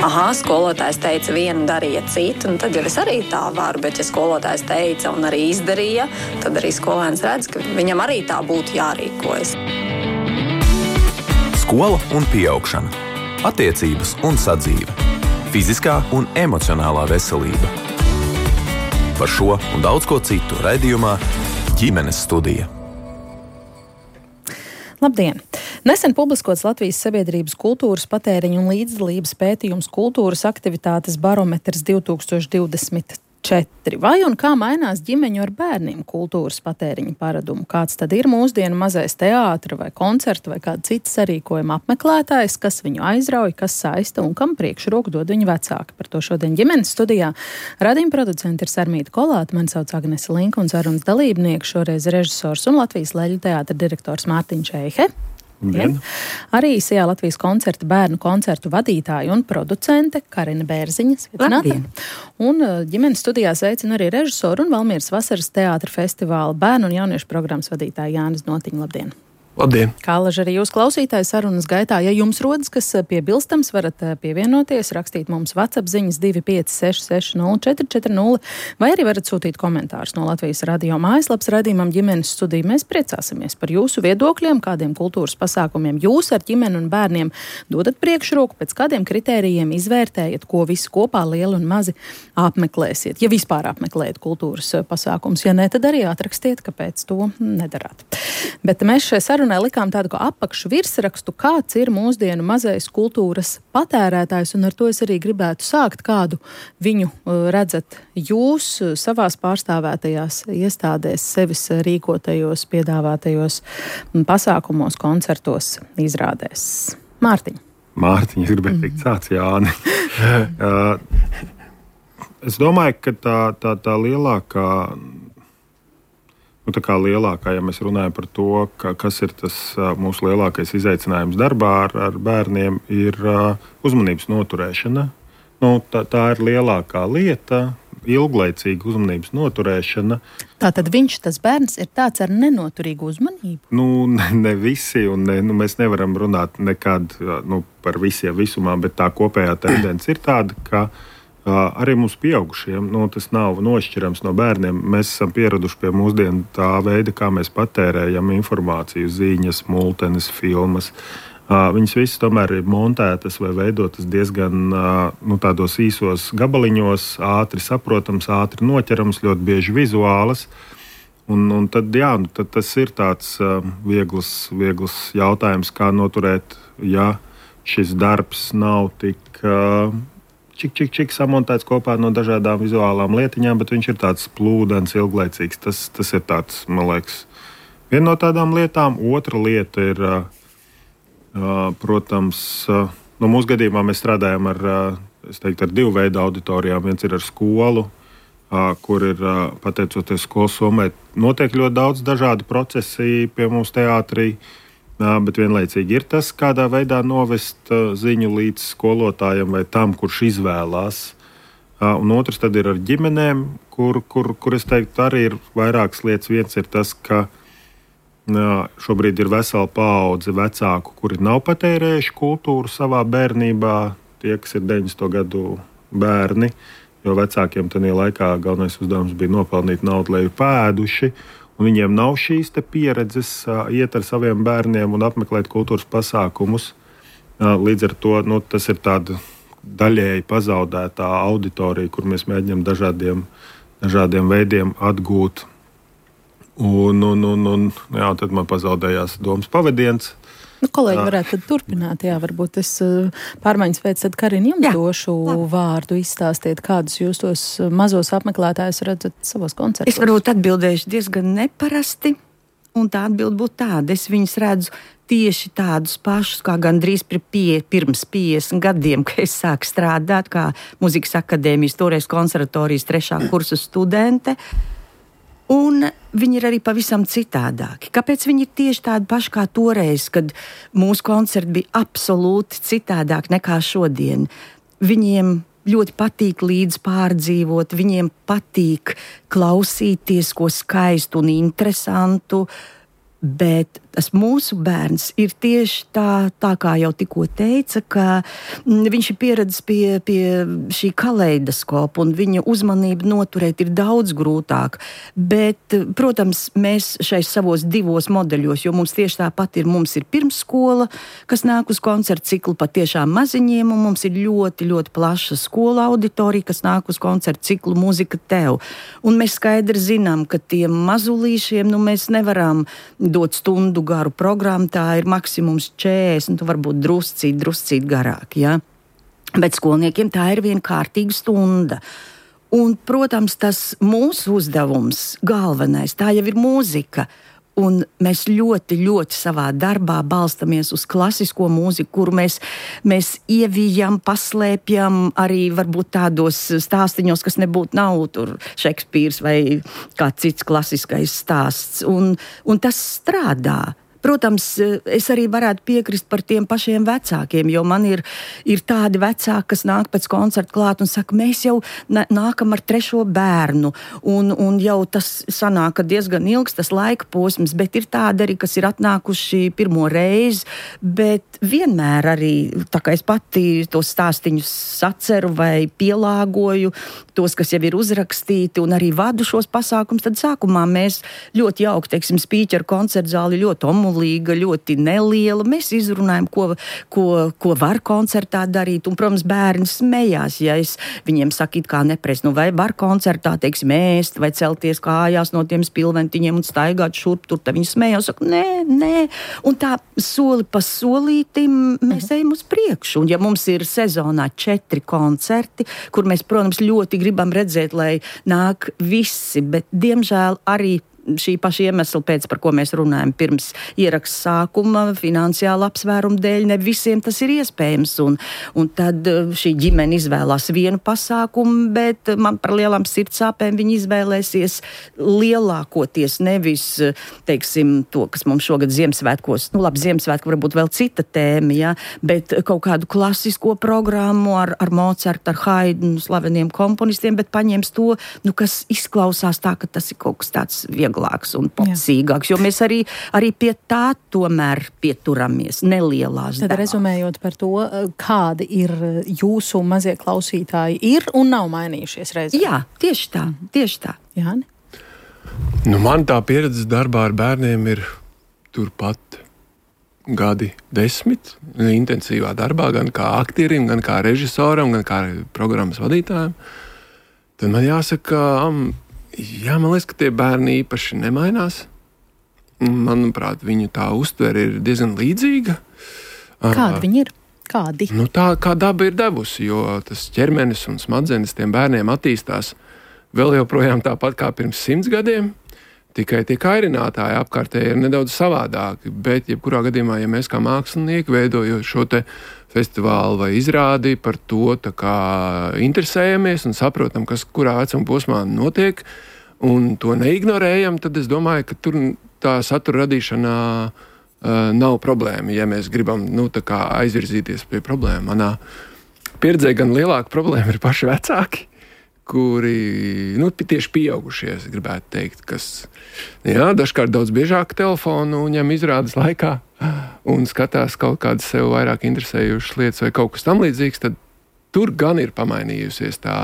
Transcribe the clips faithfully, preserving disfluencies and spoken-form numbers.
aha, skolotājs teica vienu, darīja citu, un tad jau es arī tā varu, bet ja skolotājs teica un arī izdarīja, tad arī skolēns redz, ka viņam arī tā būtu jārīkojas. Skola un pieaugšana, attiecības un sadzīve, fiziskā un emocionālā veselība. Par šo un daudz ko citu raidījumā Ģimenes studija. Labdien! Nesen publiskots Latvijas sabiedrības kultūras patēriņu un līdzdalības pētījums kultūras aktivitātes barometrs divtūkstoš divdesmit četri. Vai un kā mainās ģimeņu ar bērniem kultūras patēriņa paradumu? Kāds tad ir mūsdienu mazais teātra vai koncerta vai kāda cita sarīkojuma apmeklētājs, kas viņu aizrauj, kas saista un kam priekšroku dod viņu vecāki? Par to šodien ģimenes studijā raidījuma producenti ir Sarmīta Kolāte, mani sauc Agnese Linka un sarunas dalībnieki šoreiz režisors un Latvijas Leļu teātra direktors Mārtiņš Eihe. Ja. Arī Sijā Latvijas koncerta bērnu koncertu vadītāja un producente Karina Bērziņa. Sveicināta. Un ģimenes studijā sveicina arī režisoru un Valmieras vasaras teātra festivāla bērnu un jauniešu programmas vadītāja Jānis Notiņa. Labdien! Labdien! Kā laži arī jūs klausītāji sarunas gaitā, ja jums rodas kas piebilstams, varat pievienoties, rakstīt mums WhatsApp ziņas divi pieci seši seši nulle četri četri nulle vai arī varat sūtīt komentārus no Latvijas radio mājaslapas raidījumam Ģimenes studija. Mēs priecāsimies par jūsu viedokļiem, kādiem kultūras pasākumiem jūs ar ģimeni un bērniem dodat priekšroku, pēc kādiem kritērijiem izvērtējat, ko visi kopā lieli un mazi apmeklēsiet. Ja vispār apmeklējat kultūras pasākums, ja ne, tad arī atrakstiet, kāpēc to nedarāt. Bet mēs šai sarunai likām tādu kā apakšu virsrakstu, kāds ir mūsdienu mazais kultūras patērētājs, un ar to es arī gribētu sākt, kādu viņu redzat jūs savās pārstāvētajās iestādēs, sevis rīkotajos, piedāvātajos pasākumos, koncertos, izrādēs. Mārtiņ. Mārtiņ, es gribēju teikt, sāc Jāni. Es domāju, ka tā, tā, tā lielākā Nu, tā kā lielākā, ja mēs runājam par to, ka, kas ir tas mūsu lielākais izaicinājums darbā ar, ar bērniem, ir uzmanības noturēšana. Nu, tā, tā ir lielākā lieta, ilglaicīga uzmanības noturēšana. Tātad viņš, tas bērns, ir tāds ar nenoturīgu uzmanību? Nu, ne, ne visi, un ne, nu, mēs nevaram runāt nekad nu, par visiem visumā, bet tā kopējā tendence ir tāda, ka Uh, arī mums pieaugušiem, nu, tas nav nošķirams no bērniem. Mēs esam pieraduši pie mūsdienu tā veida, kā mēs patērējam informāciju, ziņas, multenes, filmas. Uh, viņas visas tomēr ir montētas vai veidotas diezgan uh, nu, tādos īsos gabaliņos, ātri saprotams, ātri noķerams, ļoti bieži vizuālas. Un, un tad, jā, nu, tad tas ir tāds uh, viegls, viegls jautājums, kā noturēt, ja šis darbs nav tik Uh, Čik, čik, čik samontēts kopā no dažādām vizuālām lietiņām, bet viņš ir tāds plūdens, ilglaicīgs. Tas, tas ir tāds, man liekas, viena no tādām lietām. Otra lieta ir, uh, protams, uh, no mūsu gadījumā mēs strādājam ar, uh, es teiktu, ar divu veidu auditorijām. Viens ir ar skolu, uh, kur ir, uh, pateicoties skolas somai, notiek ļoti daudz dažādi procesi pie mums teātrī. Jā, bet vienlaicīgi ir tas, kādā veidā novest uh, ziņu līdz skolotājam vai tam, kurš izvēlās. Uh, un otrs tad ir ar ģimenēm, kur, kur, kur es teiktu, arī ir vairākas lietas. Viens ir tas, ka uh, šobrīd ir vesela paudze vecāku, kuri nav patērējuši kultūru savā bērnībā, tie, kas ir deviņdesmito gadu bērni, jo vecākiem tajā laikā galvenais uzdevums bija nopelnīt naudu, lai ir pēduši. Un viņiem nav šīs pieredzes uh, iet ar saviem bērniem un apmeklēt kultūras pasākumus. Uh, līdz ar to nu, tas ir tāda daļēji pazaudētā auditorija, kur mēs mēģinām dažādiem, dažādiem veidiem atgūt. Un, un, un, un jā, tad man pazaudējās domas pavadiens. Nu, kolēģi varētu tad turpināt, jā, varbūt es pārmaiņas pēc tad Karina jums jā, došu labi. Vārdu, izstāstiet, kādus jūs tos mazos apmeklētājus redzat savos koncertos. Es varbūt atbildēšu diezgan neparasti, un tā atbild būtu tāda. Es viņus redzu tieši tādus pašus, kā gandrīz pie, pirms piecdesmit gadiem, kad es sāku strādāt kā Mūzikas akadēmijas, toreiz konservatorijas trešā kursa studente. Un viņi ir arī pavisam citādāki. Kāpēc viņi ir tieši tādi paši kā toreiz, kad mūsu koncerti bija absolūti citādāk nekā šodien? Viņiem ļoti patīk līdz pārdzīvot, viņiem patīk klausīties ko skaistu un interesantu, bet tas mūsu bērns ir tieši tā, tā kā jau tikko teica, ka viņš ir pieredzis pie, pie šī kaleidoskopa un viņa uzmanību noturēt ir daudz grūtāk. Bet, protams, mēs šais savos divos modeļos, jo mums tieši tāpat ir, mums ir pirmsskola, kas nāk uz koncertu ciklu patiešām maziņiem, un mums ir ļoti, ļoti plaša skola auditorija, kas nāk uz koncertu ciklu Mūzika tev. Un mēs skaidri zinām, ka tiem mazulīšiem, nu, mēs nevaram dot stundu garu programmu, tā ir maksimums četrdesmit, nu, varbūt druscīt, druscīt garāk, ja? Bet skolniekiem tā ir viena kārtīga stunda. Un, protams, tas mūsu uzdevums galvenais, tā jau ir mūzika. Un mēs ļoti, ļoti savā darbā balstamies uz klasisko mūziku, kuru mēs, mēs ievijam, paslēpjam arī varbūt tādos stāstiņos, kas nebūtu nav tur Šekspīrs vai kāds cits klasiskais stāsts. Un, un tas strādā. Protams, es arī varētu piekrist par tiem pašiem vecākiem, jo man ir, ir tādi vecāki, kas nāk pēc koncerta klāt un saka, mēs jau nākam ar trešo bērnu, un, un jau tas sanāk diezgan ilgs tas laika posms, bet ir tādi arī, kas ir atnākuši pirmo reizi, bet vienmēr arī, tā kā es pati tos stāstiņus saceru vai pielāgoju, tos, kas jau ir uzrakstīti, un arī vadu šos pasākums, tad sākumā mēs ļoti jauki, teiksim, spīķeru koncertzāli ļoti omulīga, ļoti neliela. Mēs izrunājam, ko, ko, ko var koncertā darīt, un, protams, bērni smējās, ja es viņiem saku, it kā nepres, nu vai var koncertā, teiksim, ēst, vai celties kājās no tiem spilventiņiem un staigāt šurp tur, tad viņi smējās, saka, nē, nē, un tā soli pa solītim mēs ejam uz priekšu, un ja mums ir sezonā četri koncerti, kur mēs, protams, ļoti gribam redzēt, lai nāk visi, bet, diemžēl, arī šī paša iemesla pēc, par ko mēs runājam pirms ieraksta sākuma, finansiāla apsvēruma dēļ, ne visiem tas ir iespējams, un, un tad šī ģimene izvēlās vienu pasākumu, bet man par lielām sirdsāpēm viņi izvēlēsies lielākoties nevis, teiksim, to, kas mums šogad Ziemassvētkos, nu labi, Ziemassvētku varbūt vēl cita tēma, ja, bet kaut kādu klasisko programmu ar, ar Mocartu, ar Haydnu, slaveniem komponistiem, bet paņems to, nu, kas izklausās tā, ka tas ir kaut kas tāds vieglāks un popsīgāks, jo mēs arī, arī pie tā tomēr pieturamies nelielās Tad devās. rezumējot par to, kādi ir jūsu mazie klausītāji, ir un nav mainījušies reizē. Jā, tieši tā, tieši tā. Jāni? Nu, man tā pieredze darbā ar bērniem ir turpat gadi desmit, intensīvā darbā, gan kā aktierim, gan kā režisoram, gan kā programmas vadītājiem. Tad man jāsaka, jā, man liekas, ka tie bērni īpaši nemainās. Manuprāt, viņu tā uztvere ir diezgan līdzīga. Kādi viņi ir? Kādi? Nu, tā kā daba ir devusi, jo tas ķermenis un smadzenes tiem bērniem attīstās vēl joprojām tāpat kā pirms simts gadiem. Tikai tie kairinātāji apkārtēji ir nedaudz savādāki, bet jebkurā gadījumā, ja mēs kā mākslinieki veidojot šo te festivālu vai izrādi par to tā kā interesējamies un saprotam, kas kurā vecuma posmā notiek un to neignorējam, tad es domāju, ka tur tā satura radīšanā uh, nav problēma, ja mēs gribam, nu, tā kā aizvirzīties pie problēma. Manā pieredzē gan lielāka problēma ir paši vecāki, kuri, nu, tieši pieaugušie, es gribētu teikt, kas, jā, dažkārt daudz biežāk telefonu ņem izrādes laikā un skatās kaut kādas sev vairāk interesējušas lietas vai kaut kas tam līdzīgs, tad tur gan ir pamainījusies tā,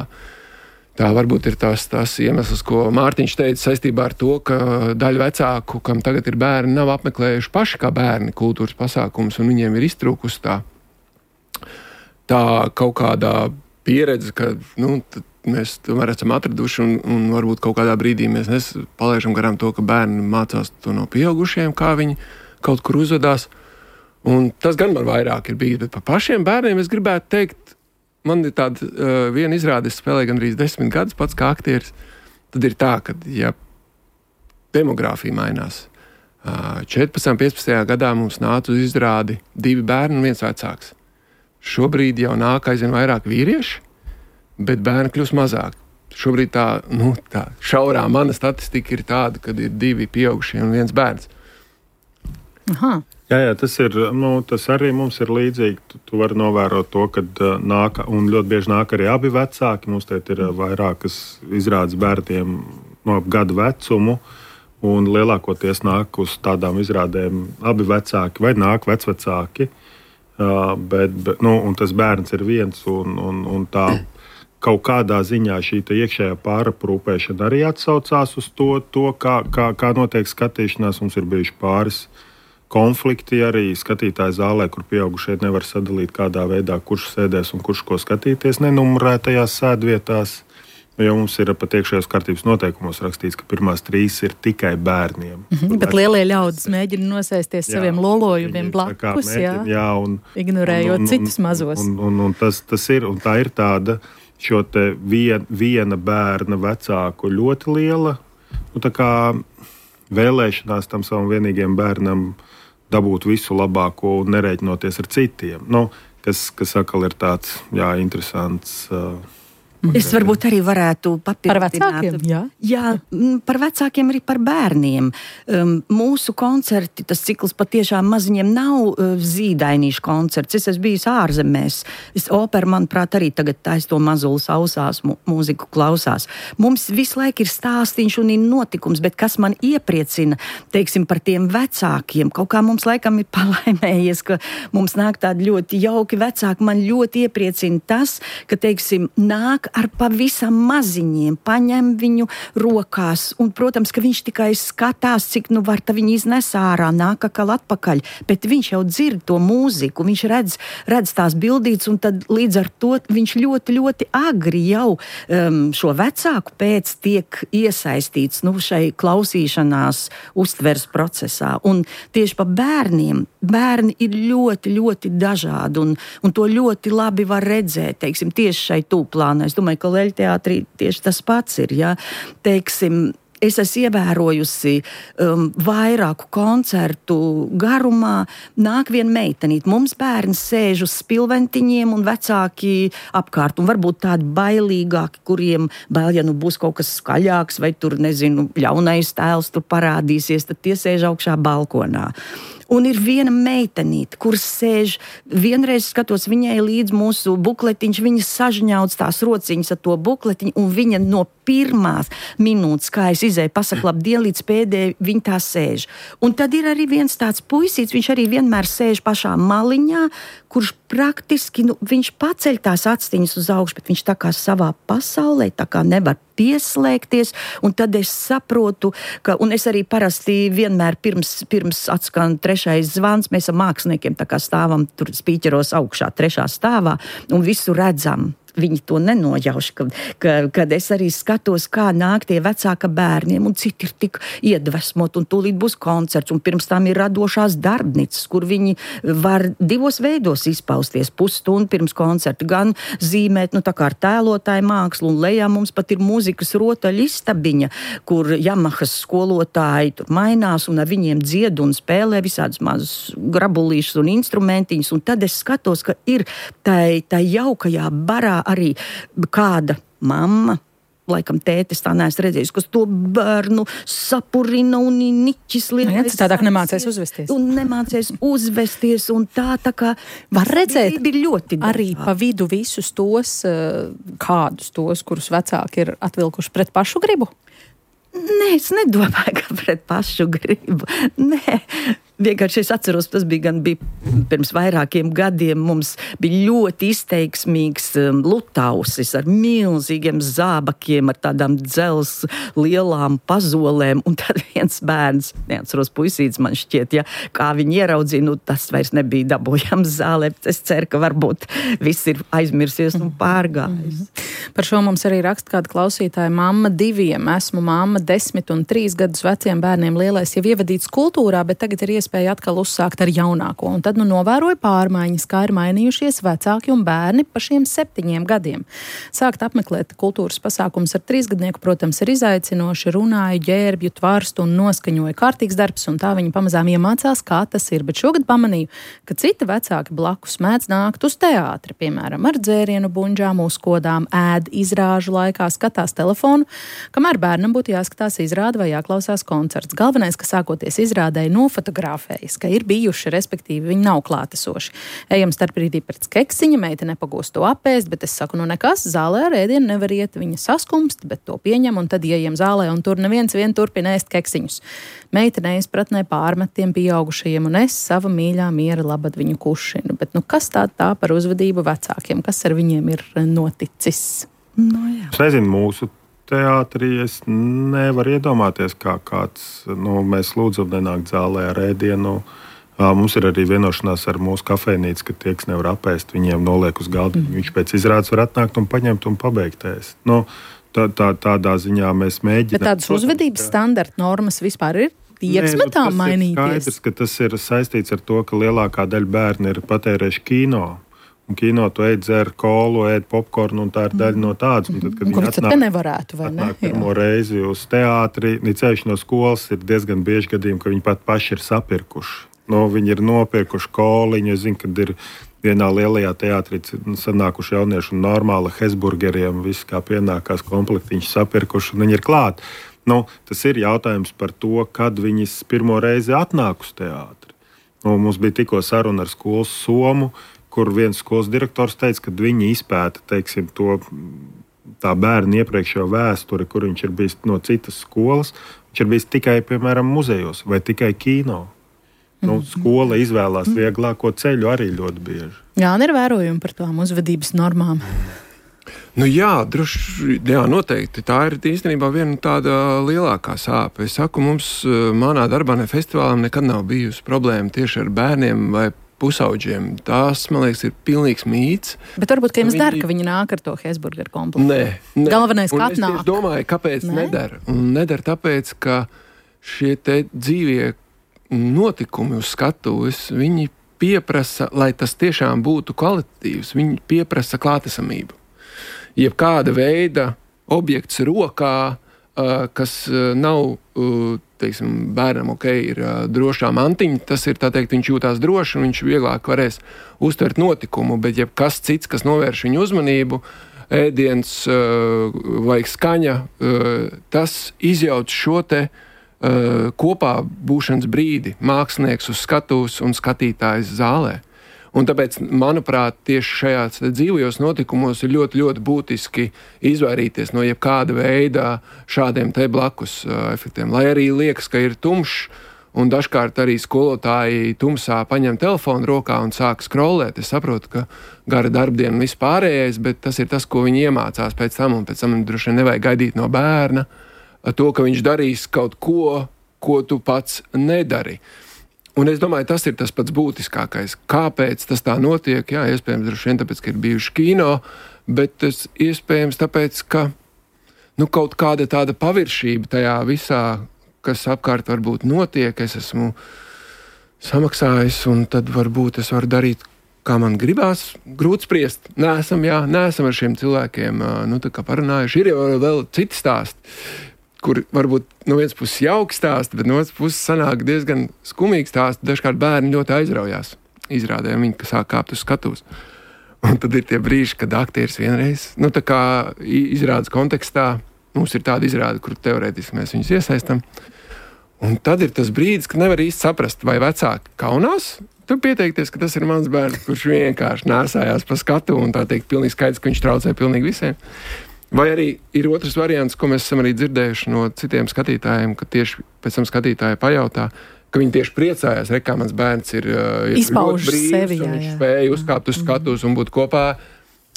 tā varbūt ir tās, tās iemesls, ko Mārtiņš teica saistībā ar to, ka daļa vecāku, kam tagad ir bērni, nav apmeklējuši paši kā bērni kultūras pasākums un viņiem ir iztrūkusi tā, tā kaut kādā pieredze, ka, nu, mēs tomēr esam atraduši un, un varbūt kaut kādā brīdī mēs nes, palaižam garām to, ka bērni mācās to no pieaugušiem, kā viņi kaut kur uzvedās. Un tas gan man vairāk ir bijis, bet par pašiem bērniem es gribētu teikt, man ir tāda uh, viena izrāde, es spēlēju gandrīz desmit gadus pats kā aktieris, tad ir tā, ka, ja demogrāfija mainās, uh, četrpadsmit, piecpadsmit gadā mums nāca uz izrādi divi bērni un viens vecāks. Šobrīd jau nāk aizvien vairāk vīrieši, bet bērni kļūst mazāk. Šobrīd tā, nu, tā šaurā mana statistika ir tāda, kad ir divi pieaugušie un viens bērns. Aha. Jā, jā, tas ir, nu, tas arī mums ir līdzīgi. Tu, tu vari novērot to, ka uh, nāk, un ļoti bieži nāk arī abi vecāki. Mums te ir uh, vairākas izrādes bērniem no gadu vecumu, un lielākoties nāk uz tādām izrādēm abi vecāki vai nāk vecvecāki, uh, bet, bet, nu, un tas bērns ir viens, un, un, un tā kaut kādā ziņā šī iekšējā pāraprūpēšana arī atsaucās uz to, to kā, kā, kā notiek skatīšanās. Mums ir bijuši pāris konflikti arī skatītāju zālē, kur pieaugušie nevar sadalīt kādā veidā, kurš sēdēs un kurš ko skatīties nenumurētajās sēdvietās. Jo mums ir pat iekšējās kārtības noteikumos rakstīts, ka pirmās trīs ir tikai bērniem. Mm-hmm, bet lielie ļaudis mēģina nosēsties jā, saviem lolojumiem blakus, jā, jā, un, ignorējot un, un, citus mazos. Un, un, un, tas, tas ir, un tā ir tāda šo te vien, viena bērna vecāku ļoti liela nu, tā kā vēlēšanās tam savam vienīgiem bērnam dabūt visu labāko un nerēķinoties ar citiem. Nu, kas, kas atkal ir tāds jā, interesants. Uh, Es varbūt arī varētu papildināt. Par vecākiem, jā? Jā, par vecākiem arī par bērniem. Um, mūsu koncerti, tas cikls patiešām maziņiem nav uh, zīdainīšu koncerts. Es esmu bijis ārzemēs. Es opera, manuprāt, arī tagad tais to mazulis ausās, mu, mūziku klausās. Mums visu laiku ir stāstīņš un ir notikums, bet kas man iepriecina, teiksim, par tiem vecākiem. Kaut kā mums laikam ir palaimējies, ka mums nāk tādi ļoti jauki vecāki. Man ļoti iepriecina tas, ka, teiksim, nāk ar pavisam maziņiem, paņem viņu rokās, un, protams, ka viņš tikai skatās, cik nu var ta viņi iznes ārā, nāk akal atpakaļ, bet viņš jau dzird to mūziku, viņš redz, redz tās bildītes, un tad līdz ar to viņš ļoti, ļoti agri jau um, šo vecāku pēc tiek iesaistīts, nu, šai klausīšanās uztveres procesā, un tieši pa bērniem, bērni ir ļoti, ļoti dažādi, un, un to ļoti labi var redzēt, teiksim, tieši šai tūplānai. Es domāju, ka Leļteātrī tieši tas pats ir, ja, teiksim, es esmu ievērojusi um, vairāku koncertu garumā, nāk viena meitenīt. Mums bērns sēž uz spilventiņiem un vecāki apkārt, un varbūt tādi bailīgāki, kuriem bail, ja nu būs kaut kas skaļāks, vai tur, nezinu, ļaunais tēls tur parādīsies, tad tie sēž augšā balkonā. Un ir viena meitenīte, kuras sēž, vienreiz skatos viņai līdz mūsu bukletiņš, viņa sažņauc tās rociņas ar to bukletiņu, un viņa no pirmās minūtes, kā es izēju pasaka labdien, līdz pēdējai viņa tā sēž. Un tad ir arī viens tāds puisīts, viņš arī vienmēr sēž pašā maliņā, kurš praktiski, nu, viņš paceļ tās actiņas uz augšu, bet viņš tā kā savā pasaulē, tā kā nevar pieslēgties, un tad es saprotu, ka, un es arī parasti vienmēr pirms, pirms atskan trešais zvans, mēs ar māksliniekiem tā kā stāvam tur spīķeros augšā trešā stāvā, un visu redzam. Viņi to nenojauš, ka, ka, kad es arī skatos, kā nāk tie vecāka bērniem, un citi ir tik iedvesmot, un tūlīt būs koncerts, un pirms tam ir radošās darbnīcas, kur viņi var divos veidos izpausties, pusstundu pirms koncerta, gan zīmēt, nu tā kā ar tēlotāju mākslu, un lejā mums pat ir mūzikas rotaļu istabiņa, kur Jamahas skolotāji tur mainās, un ar viņiem dzied un spēlē visādas mazas grabulīšas un instrumentiņas, un tad es skatos, ka ir tai, tai jaukajā barā arī kāda mamma, laikam tētis tā neesmu redzējis, kas to bērnu sapurina un niķis lielais. Jā, citādāk nemācēs uzvesties. Un nemācēs uzvesties, un tā tā kā var redzēt ir ļoti arī pa vidu visus tos, kādus tos, kurus vecāki ir atvilkuši pret pašu gribu? Nē, es nedomāju, ka pret pašu gribu. Nē. Vienkārši es atceros, tas bija gan bija pirms vairākiem gadiem, mums bija ļoti izteiksmīgs um, lutausis ar milzīgiem zābakiem, ar tādām dzels lielām pazolēm, un tad viens bērns, neatceros puisīts man šķiet, ja, kā viņi ieraudzīja, nu tas vairs nebija dabūjams zālē, bet es ceru, ka varbūt viss ir aizmirsies un pārgājis. Mm-hmm. Par šo mums arī raksta kāda klausītāja, mamma diviem, esmu mamma desmit un trīs gadus veciem bērniem, lielais jau ievadīts kultūrā, bet tagad ir iespēja spēja atkal uzsākt ar jaunāko. Un tad nu novēroju pārmaiņas, kā ir mainījušies vecāki un bērni pa šiem septiņiem gadiem. Sākt apmeklēt kultūras pasākums ar trīsgadnieku, protams, ir izaicinoši, runāju, ģērbju, tvarstu un noskaņoju kārtīgs darbs, un tā viņi pamazām iemācās, kā tas ir. Bet šogad pamanīju, ka citi vecāki blakus mēdz nākt uz teātri, piemēram, ar dzērienu buņģām, uzkodām, ēd izrāžu laikā, skatās telefonu, kamēr bērnam būtu jāskatās izrāde vai jāklausās koncerts. Galvenais, ka sākoties izrādēji nofotografējas, ka ir bijuši, respektīvi viņi nav klātesoši. Ejam starp brīdī pēc keksiņa, meita nepagūst to apēst, bet es saku, nu nekas, zālē ar ēdienu nevar iet, viņa saskumst, bet to pieņem un tad ieejam zālē un tur neviens vien turpina ēst keksiņus. Meita neizpratnē pārmet tiem pieaugušajiem un es sava mīļā miera labad viņu kušinu. Bet nu kas tā tā par uzvedību vecākiem? Kas ar viņiem ir noticis? No, jā. Es nezinu, mūsu teātrī es nevaru iedomāties, kā kāds, nu, mēs lūdzam nenākt zālē ar ēdienu. Mums ir arī vienošanās ar mūsu kafejnīcu, ka tie, kas nevar apēst, viņiem noliek uz galda. Mm. Viņš pēc izrādes var atnākt un paņemt un pabeigt ēst. Nu, tā, tā, tādā ziņā mēs mēģinām. Bet tādas uzvedības standarta normas vispār ir? Tieksmetām mainīties. Nē, nu, tas ir skaidrs, ka tas ir saistīts ar to, ka lielākā daļa bērni ir patērējuši kino. Un kino tu ēd dzer kolu, ēd popkornu, un tā ir daļa no tādas. Un tad, kad un viņi atnāk, nevarētu, vai ne? pirmo reizi uz teātri, ceļš no skolas ir diezgan bieži gadījumi, ka viņi pat paši ir sapirkuši. No, viņi ir nopirkuši koliņu. Es zinu, kad ir vienā lielajā teātrī sanākuši jaunieši un normāli hesburgeriem, viss kā pienākās komplektiņš sapirkuši, un viņi ir klāt. Nu, tas ir jautājums par to, kad viņas pirmo reizi atnāk uz teātri. Nu, mums bija tikko saruna ar skolas somu, kur viens skolas direktors teica, ka viņi izpēta, teiksim, to tā bērna iepriekšējo vēsturi, kur viņš ir bijis no citas skolas. Viņš ir bijis tikai, piemēram, muzejos vai tikai kino. Nu, skola izvēlās vieglāko ceļu arī ļoti bieži. Jā, un ir vērojumi par tām uzvedības normām. Nu jā, droši, jā, noteikti. Tā ir īstenībā viena tāda lielākā sāpe. Es saku, mums manā darbā ne festivālam nekad nav bijusi problēma tieši ar bērniem vai pusauģiem. Tās, man liekas, ir pilnīgs mīts. Bet varbūt, ka jums viņi... der, ka viņi nāk ar to hesburgeru komplektu. Nē, nē. Galvenais, ka atnāk. Es domāju, kāpēc Nē? nedara. Un nedara tāpēc, ka šie te dzīvie notikumi uz skatuves, viņi pieprasa, lai tas tiešām būtu kvalitatīvs, viņi pieprasa klātesamību. Jebkāda veida objekts rokā, kas nav, teiksim, bērnam ok, ir drošā mantiņa, tas ir, tā teikt, viņš jūtās droši un viņš vieglāk varēs uztvert notikumu, bet jebkas cits, kas novērš viņu uzmanību, ēdiens vai skaņa, tas izjauc šo te kopā būšanas brīdi, mākslinieks uz skatuves un skatītājs zālē. Un tāpēc, manuprāt, tieši šajās dzīvajos notikumos ir ļoti, ļoti būtiski izvairīties no jebkāda veida šādiem te blakus uh, efektiem. Lai arī liekas, ka ir tumšs, un dažkārt arī skolotāji tumsā paņem telefonu rokā un sāk scrollēt. Es saprotu, ka gara darbdiena un viss pārējais, bet tas ir tas, ko viņi iemācās pēc tam, un pēc tam droši vien nevajag gaidīt no bērna to, ka viņš darīs kaut ko, ko tu pats nedari. Un es domāju, tas ir tas pats būtiskākais. Kāpēc tas tā notiek? Jā, iespējams, droši vien tāpēc, ka ir bijuši kino, bet tas iespējams tāpēc, ka nu, kaut kāda tāda paviršība tajā visā, kas apkārt varbūt notiek, es esmu samaksājis, un tad varbūt es varu darīt, kā man gribās. Grūti spriest. Neesam, jā, neesam ar šiem cilvēkiem nu, tā kā parunājuši. Ir jau vēl citi stāsti, kur varbūt no vienas puses jauki stāsti, bet no otras puses sanāk diezgan skumīgi stāsti. Dažkārt bērni ļoti aizraujās izrādē, viņi sāk kāpt uz skatuves. Un tad ir tie brīži, kad aktieris vienreiz, nu tā kā izrādes kontekstā, mums ir tāda izrāde, kur teorētiski mēs viņus iesaistam. Un tad ir tas brīdis, kad nevar īsti saprast, vai vecāki kaunās, tu pieteikties, ka tas ir mans bērns, kurš vienkārši nēsājās pa skatu un tā teikt pilnīgi skaidrs, ka viņš traucē pilnīgi visiem. Vai arī ir otrs variants, ko mēs esam arī dzirdējuši no citiem skatītājiem, ka tieši pēc tam skatītāji pajautā, ka viņi tieši priecājās, re, kā mans bērns ir, ir izpauž brīvs, sevi, jā, un viņš jā. spēja uzkāpt uz skatus un būt kopā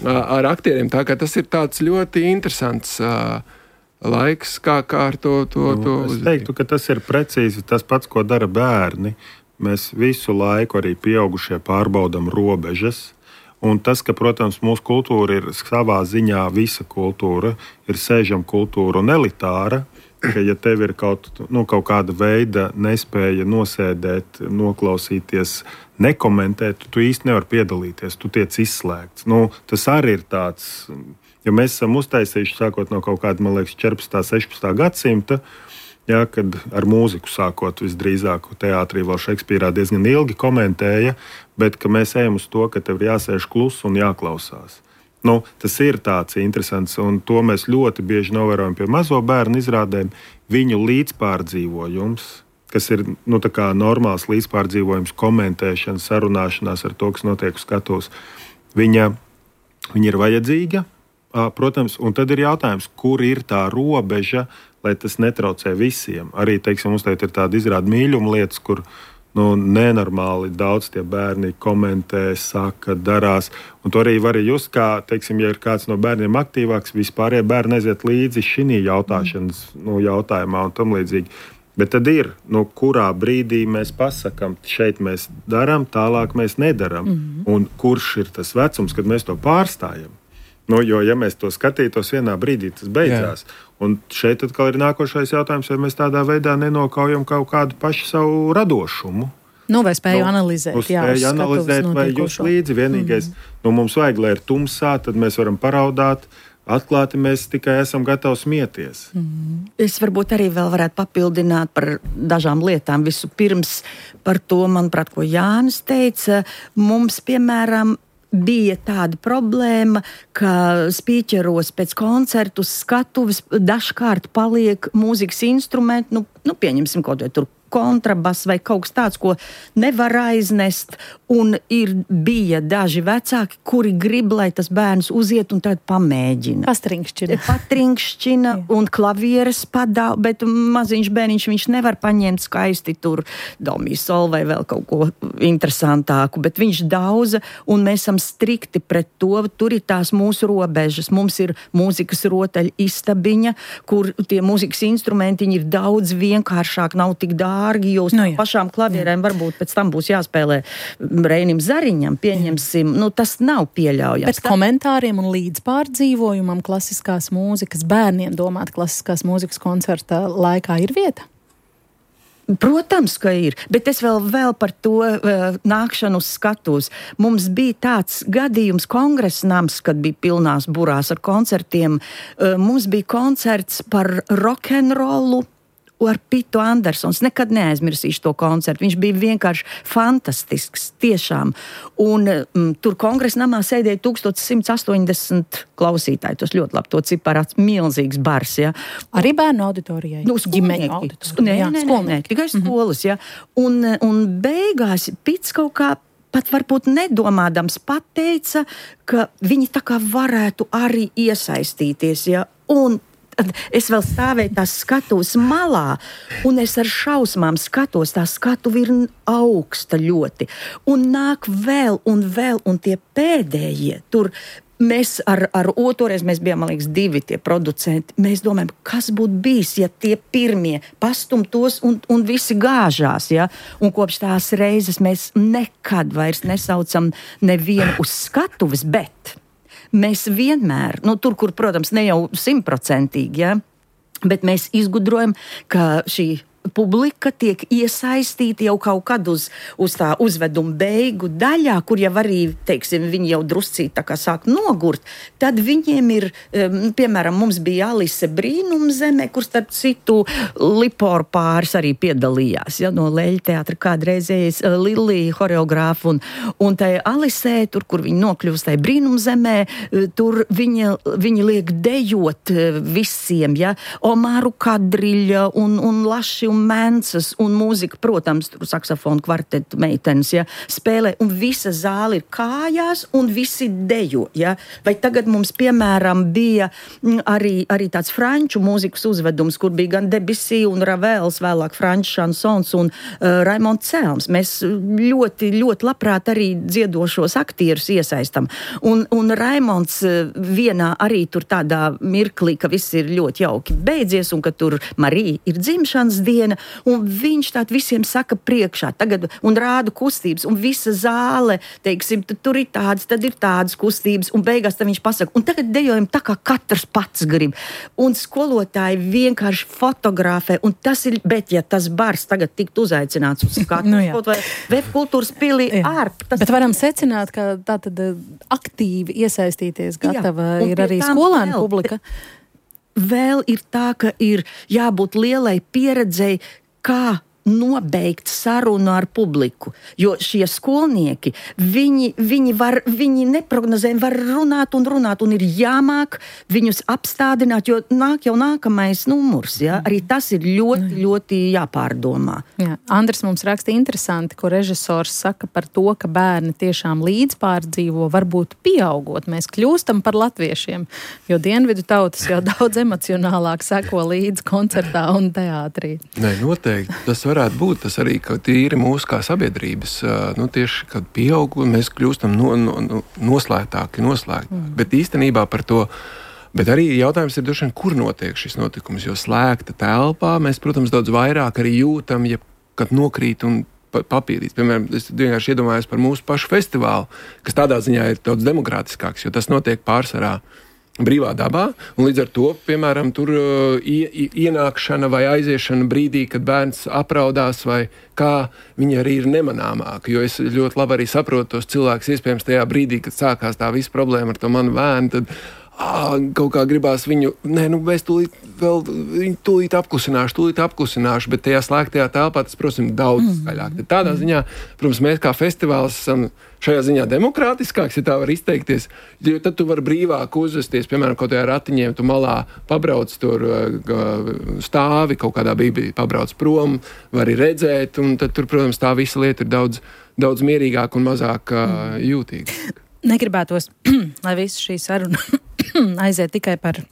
ar aktieriem. Tā kā tas ir tāds ļoti interesants uh, laiks, kā, kā ar to, to, to nu, es teiktu, ka tas ir precīzi tas pats, ko dara bērni. Mēs visu laiku arī pieaugušie pārbaudam robežas. Un tas, ka, protams, mūsu kultūra ir savā ziņā visa kultūra, ir sēžama kultūra un elitāra, ka, ja tev ir kaut, nu, kaut kāda veida nespēja nosēdēt, noklausīties, nekomentēt, tu īsti nevar piedalīties, tu tiec izslēgts. Nu, tas arī ir tāds, ja mēs esam uztaisījuši sākot no kaut kāda, man liekas, četrpadsmitā, sešpadsmitā gadsimta, jā, kad ar mūziku sākot visdrīzāk teātrī vēl Šekspīrā diezgan ilgi komentēja, bet ka mēs ejam uz to, ka tev ir jāsēž klusi un jāklausās. Nu, tas ir tāds interesants, un to mēs ļoti bieži novērojam pie mazo bērnu izrādēm. Viņu līdzpārdzīvojums, kas ir nu, tā kā normāls līdzpārdzīvojums, komentēšana, sarunāšanās ar to, kas notiek uz skatuves, viņa, viņa ir vajadzīga, protams, un tad ir jautājums, kur ir tā robeža, lai tas netraucē visiem. Arī, teiksim, mums tagad ir tāda izrāda mīļuma lietas, kur nu, nenormāli daudz tie bērni komentē, saka, darās. Un to arī var just, kā, teiksim, ja ir kāds no bērniem aktīvāks, vispārējie bērni aiziet līdzi šī jautāšanas nu, jautājumā un tam līdzīgi. Bet tad ir, nu, kurā brīdī mēs pasakām, šeit mēs darām, tālāk mēs nedarām. Mm-hmm. Un kurš ir tas vecums, kad mēs to pārstājam? Nu, jo, ja mēs to skatītos vienā brīdī, tas beidzās. Jā. Un šeit atkal ir nākošais jautājums, vai mēs tādā veidā nenokaujam kaut kādu pašu savu radošumu. Nu, vai spēju nu, analizēt, jā, spēju analizēt vai jūs līdzi. Vienīgais, mm-hmm. nu, mums vajag, lai ir tumsā, tad mēs varam paraudāt. Atklāti mēs tikai esam gatavi smieties. Mm. Es varbūt arī vēl varētu papildināt par dažām lietām. Vispirms par to, manuprāt, ko Jānis teica. Mums, piemēram, bija tāda problēma, ka spīķeros pēc koncertu skatuves dažkārt paliek mūzikas instrumenti, nu, nu pieņemsim kaut vai tur kontrabas vai kaut kas tāds, ko nevar aiznest, un ir bija daži vecāki, kuri grib, lai tas bērns uziet un tad pamēģina. Patrinkšķina. Patrinkšķina un klavieres padā, bet maziņš bērniņš viņš nevar paņemt skaisti tur do mi sol vai vēl kaut ko interesantāku, bet viņš daudza, un mēs esam strikti pret to, tur ir tās mūsu robežas. Mums ir mūzikas rotaļu istabiņa, kur tie mūzikas instrumentiņi ir daudz vienkāršāk, nav tik dārgi. Jo uz no, pašām klavierēm jā. Varbūt pēc tam būs jāspēlē Reinim Zariņam, pieņemsim, nu tas nav pieļaujams. Pēc komentāriem un līdzpārdzīvojumam klasiskās mūzikas, bērniem domāt klasiskās mūzikas koncerta laikā ir vieta? Protams, ka ir, bet es vēl, vēl par to uh, nākšanu uz skatuves. Mums bija tāds gadījums kongresnams, kad bija pilnās burās ar koncertiem. Uh, mums bija koncerts par rokenrolu ar Pitu Andersons. Nekad neaizmirsīšu to koncertu. Viņš bija vienkārši fantastisks, tiešām. Un mm, tur kongresnamā sēdēja tūkstoš simts astoņdesmit klausītāji. Tas ļoti labi, to ciparāts milzīgs bars, ja. Arī bērnu auditorijai? Nu, ģimeņu auditorijai. Nē, nē, nē, nē, tikai skolas, ja. Un, un beigās Pits kaut kā pat varbūt nedomādams pateica, ka viņi tā kā varētu arī iesaistīties, ja. Un es vēl stāvēju tās skatuves malā, un es ar šausmām skatos, tā skatuve ir augsta ļoti. Un nāk vēl un vēl, un tie pēdējie tur. Mēs ar, ar otoreiz, mēs bijām, man liekas, divi tie producenti. Mēs domājam, kas būtu bijis, ja tie pirmie pastumtos un, un visi gāžās, ja? Un kopš tās reizes mēs nekad vairs nesaucam nevienu uz skatuves, bet mēs vienmēr, nu tur, kur, protams, ne jau simtprocentīgi, ja, bet mēs izgudrojam, ka šī publika tiek iesaistīta jau kaut kad uz, uz tā uzveduma beigu daļā, kur jau arī, teiksim, viņi jau druscīt tā kā sāk nogurt, tad viņiem ir, um, piemēram, mums bija Alise Brīnumzemē, kur starp citu Liporu pāris arī piedalījās, ja, no Leļa teātra kādreizējais uh, Lilija horeogrāfa, un, un tai Alisē, tur, kur viņi nokļūst tai Brīnumzemē, uh, tur viņa, viņa liek dejot uh, visiem, ja, Omāru Kadriļa un, un Laši un Mēncas un mūzika, protams, tur saksofonu kvartetu meitenes, ja, spēlē, un visa zāle ir kājās, un visi dejo, ja. Vai tagad mums, piemēram, bija arī, arī tāds franču mūzikas uzvedums, kur bija gan Debussy un Ravels, vēlāk franču šansons un uh, Raimonds Celms. Mēs ļoti, ļoti labprāt arī dziedošos aktierus iesaistam. Un, un Raimonds uh, vienā arī tur tādā mirklī, ka viss ir ļoti jauki beidzies, un ka tur Marija ir dzimšanas diena, un viņš tād visiem saka priekšā tagad un rāda kustības, un visa zāle, teiksim, tur ir tādas, tad ir tādas kustības, un beigās tad viņš pasaka, un tagad dejojam tā, kā katrs pats grib. Un skolotāji vienkārši fotografē, un tas ir, bet ja tas bars tagad tiktu uzaicināts uz skatu, nu, vai Vef kultūras pilī ārp. Tas... Bet varam secināt, ka tā tad aktīvi iesaistīties gatava jā, ir arī skolēnu publika. Vēl ir tā, ka ir jābūt lielai pieredzei, kā nobeigt sarunu ar publiku, jo šie skolnieki, viņi, viņi, var, viņi neprognozē, var runāt un runāt, un ir jāmāk viņus apstādināt, jo nāk jau nākamais numurs, ja? Arī tas ir ļoti, ļoti jāpārdomā. Jā. Andris mums raksta interesanti, ko režisors saka par to, ka bērni tiešām līdzpārdzīvo, varbūt pieaugot. Mēs kļūstam par latviešiem, jo dienvidu tautas jau daudz emocionālāk seko līdz koncertā un teātrī. Nē, noteikti. Tas varētu būt. Tas arī, ka tīri mūsu kā sabiedrības, nu tieši, kad pieaug, mēs kļūstam no, no, noslēgtāki, noslēgtāki. Mm. Bet īstenībā par to, bet arī jautājums ir droši vien, kur notiek šis notikums, jo slēgta telpā mēs, protams, daudz vairāk arī jūtam, ja kad nokrīt un papīrīts. Piemēram, es vienkārši iedomājos par mūsu pašu festivālu, kas tādā ziņā ir daudz demokrātiskāks, jo tas notiek pārsvarā brīvā dabā, un līdz ar to, piemēram, tur uh, ie, ienākšana vai aiziešana brīdī, kad bērns apraudās vai kā, viņa arī ir nemanāmāka, jo es ļoti labi arī saprotu tos cilvēkus, iespējams, tajā brīdī, kad sākās tā visa problēma ar to manu bērnu, tad ā, kaut kā gribās viņu, nē, nu, mēs tūlīt vēl, viņu tūlīt apklusināšu, tūlīt apklusināšu, bet tajā slēgtajā telpā tas, protams, daudz mm. skaļāk. Tad tādā ziņā, protams, mēs kā festivāls esam šajā ziņā demokrātiskāks, ja tā var izteikties, jo tad tu vari brīvāk uzvesties, piemēram, kaut tajā ratiņiem, tu malā pabrauc tur stāvi, kaut kādā brīdī pabrauc prom, vari redzēt, un tad tur, protams, tā visa lieta ir daudz, daudz mierīgāk un mazāk mm. jūtīga. Negribētos, lai visu šī saruna aiziet tikai par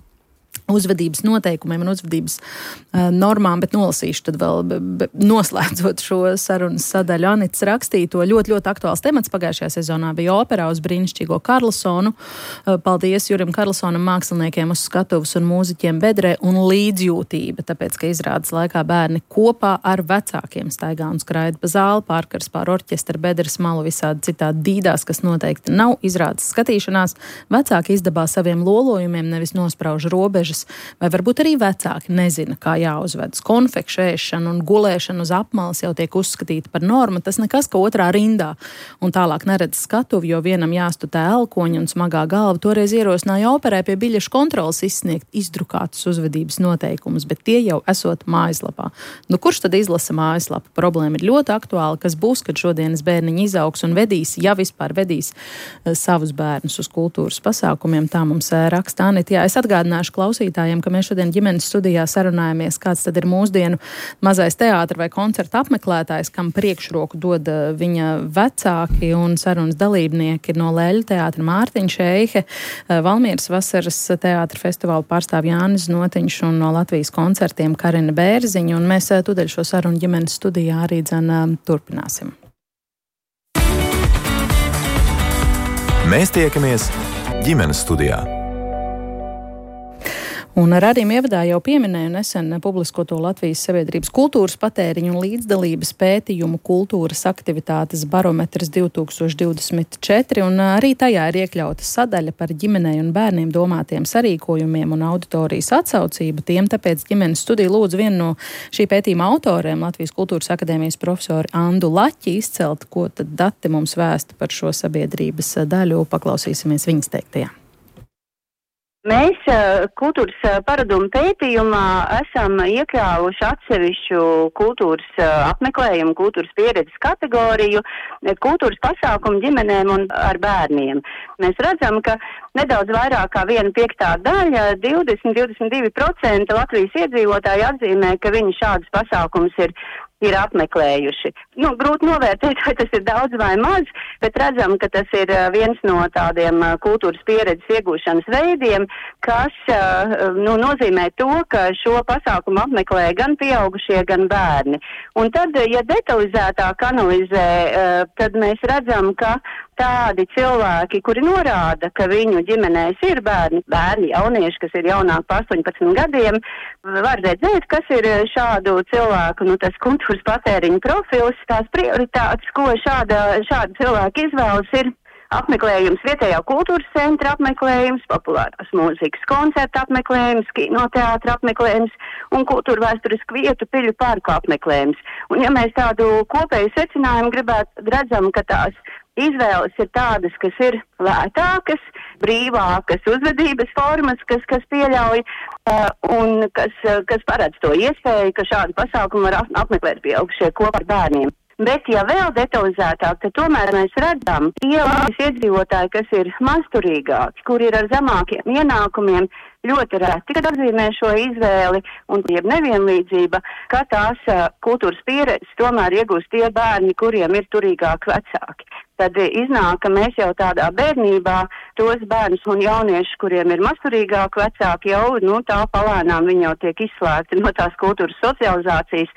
uzvedības noteikumiem un uzvedības uh, normām, bet nolasīšu tad vēl, be, be, noslēdzot šo sarunas sadaļu. Anits rakstīto ļoti, ļoti aktuāls temats pagājušajā sezonā bija operā uz brīnišķīgo Karlsonu. Uh, paldies Jurim Karlsonam, māksliniekiem uz skatuvas un mūziķiem bedrē un līdzjūtība, tāpēc, ka izrādes laikā bērni kopā ar vecākiem staigā un skraida pa zāli, pārkars pār orķestra bedres malu visādi citādi dīdās, kas noteikti nav izrādes skatīšanās. Vecāki izdabā saviem lolojumiem, nevis nosprauž robežas, vai varbūt arī vecāki nezina, kā jāuzvedas. Konfekšu ēšana un gulēšana uz apmalas jau tiek uzskatīta par normu, tas nekas, ka otrā rindā un tālāk neredz skatuvi, jo vienam jāstutē elkoņi un smagā galva. Toreiz ierosināja operē pie biļešu kontrolas izsniegt izdrukātus uzvedības noteikumus, bet tie jau esot mājaslapā. Nu, kurš tad izlasa mājaslapu? Problēma ir ļoti aktuāla, kas būs, kad šodienas bērniņi izaugs un vedīs, ja vispār vedīs uh, savus bērnus uz kultūras pasākumiem. Tā mums uh, raksta Anita. Jā, es atgādināšu klausīt, ka mēs šodien ģimenes studijā sarunājamies, kāds tad ir mūsdienu mazais teātra vai koncerta apmeklētājs, kam priekšroku dod viņa vecāki, un sarunas dalībnieki no Leļu teātra Mārtiņš Eihe, Valmieras vasaras teātra festivāla pārstāv Jānis Notiņš un no Latvijas koncertiem Karina Bērziņa, un mēs tūdaļ šo sarunu ģimenes studijā arī dzen turpināsim. Mēs tiekamies ģimenes studijā. Un radījuma ievadā jau pieminēju nesen publiskoto Latvijas sabiedrības kultūras patēriņu un līdzdalības pētījumu kultūras aktivitātes barometrs divi tūkstoši divdesmit četri, un arī tajā ir iekļauta sadaļa par ģimenei un bērniem domātiem sarīkojumiem un auditorijas atsaucību tiem, tāpēc ģimenes studija lūdzu vienu no šī pētījuma autoriem, Latvijas kultūras akadēmijas profesoru Andu Laķi, izcelt, ko tad dati mums vēsta par šo sabiedrības daļu. Paklausīsimies viņas teiktajā. Mēs kultūras paradumu pētījumā esam iekļāvuši atsevišķu kultūras apmeklējumu, kultūras pieredzes kategoriju, kultūras pasākumu ģimenēm un ar bērniem. Mēs redzam, ka nedaudz vairāk kā viena piektā daļa, divdesmit līdz divdesmit divi procenti Latvijas iedzīvotāji atzīmē, ka viņi šādus pasākumus ir ir apmeklējuši. Nu, grūti novērtēt, vai tas ir daudz vai maz, bet redzam, ka tas ir viens no tādiem kultūras pieredzes iegūšanas veidiem, kas nu, nozīmē to, ka šo pasākumu apmeklē gan pieaugušie, gan bērni. Un tad, ja detalizētāk analizē, tad mēs redzam, ka tādi cilvēki, kuri norāda, ka viņu ģimenēs ir bērni, bērni, jaunieši, kas ir jaunāk par astoņpadsmit gadiem, var redzēt, kas ir šādu cilvēku, nu, tas kultūras patēriņa profils, tās prioritātes, ko šāda, šāda cilvēka izvēlas ir apmeklējums vietējā kultūras centra apmeklējums, populārās mūzikas koncerta apmeklējums, kinoteātra apmeklējums un kultūra vēsturisku vietu piļu parku apmeklējums. Un ja mēs tādu kopēju secinājumu gribētu, redzam, ka tās izvēles ir tādas, kas ir lētākas, brīvākas uzvedības formas, kas, kas pieļauj uh, un kas, uh, kas paredz to iespēju, ka šādu pasākumu var apmeklēt pieaugušie kopā ar bērniem. Bet, ja vēl detalizētāk, tad tomēr mēs redzam, tie iedzīvotāji, kas ir mazturīgāki, kur ir ar zemākiem ienākumiem, ļoti reti, kad atzīmē šo izvēli un jeb nevienlīdzība, ka tās uh, kultūras pieredzes tomēr iegūst tie bērni, kuriem ir turīgāki vecāki. Tad iznāk, ka mēs jau tādā bērnībā tos bērnus un jauniešus, kuriem ir mazturīgāki vecāki, jau nu, tā palēnām viņi jau tiek izslēgti no tās kultūras socializācijas,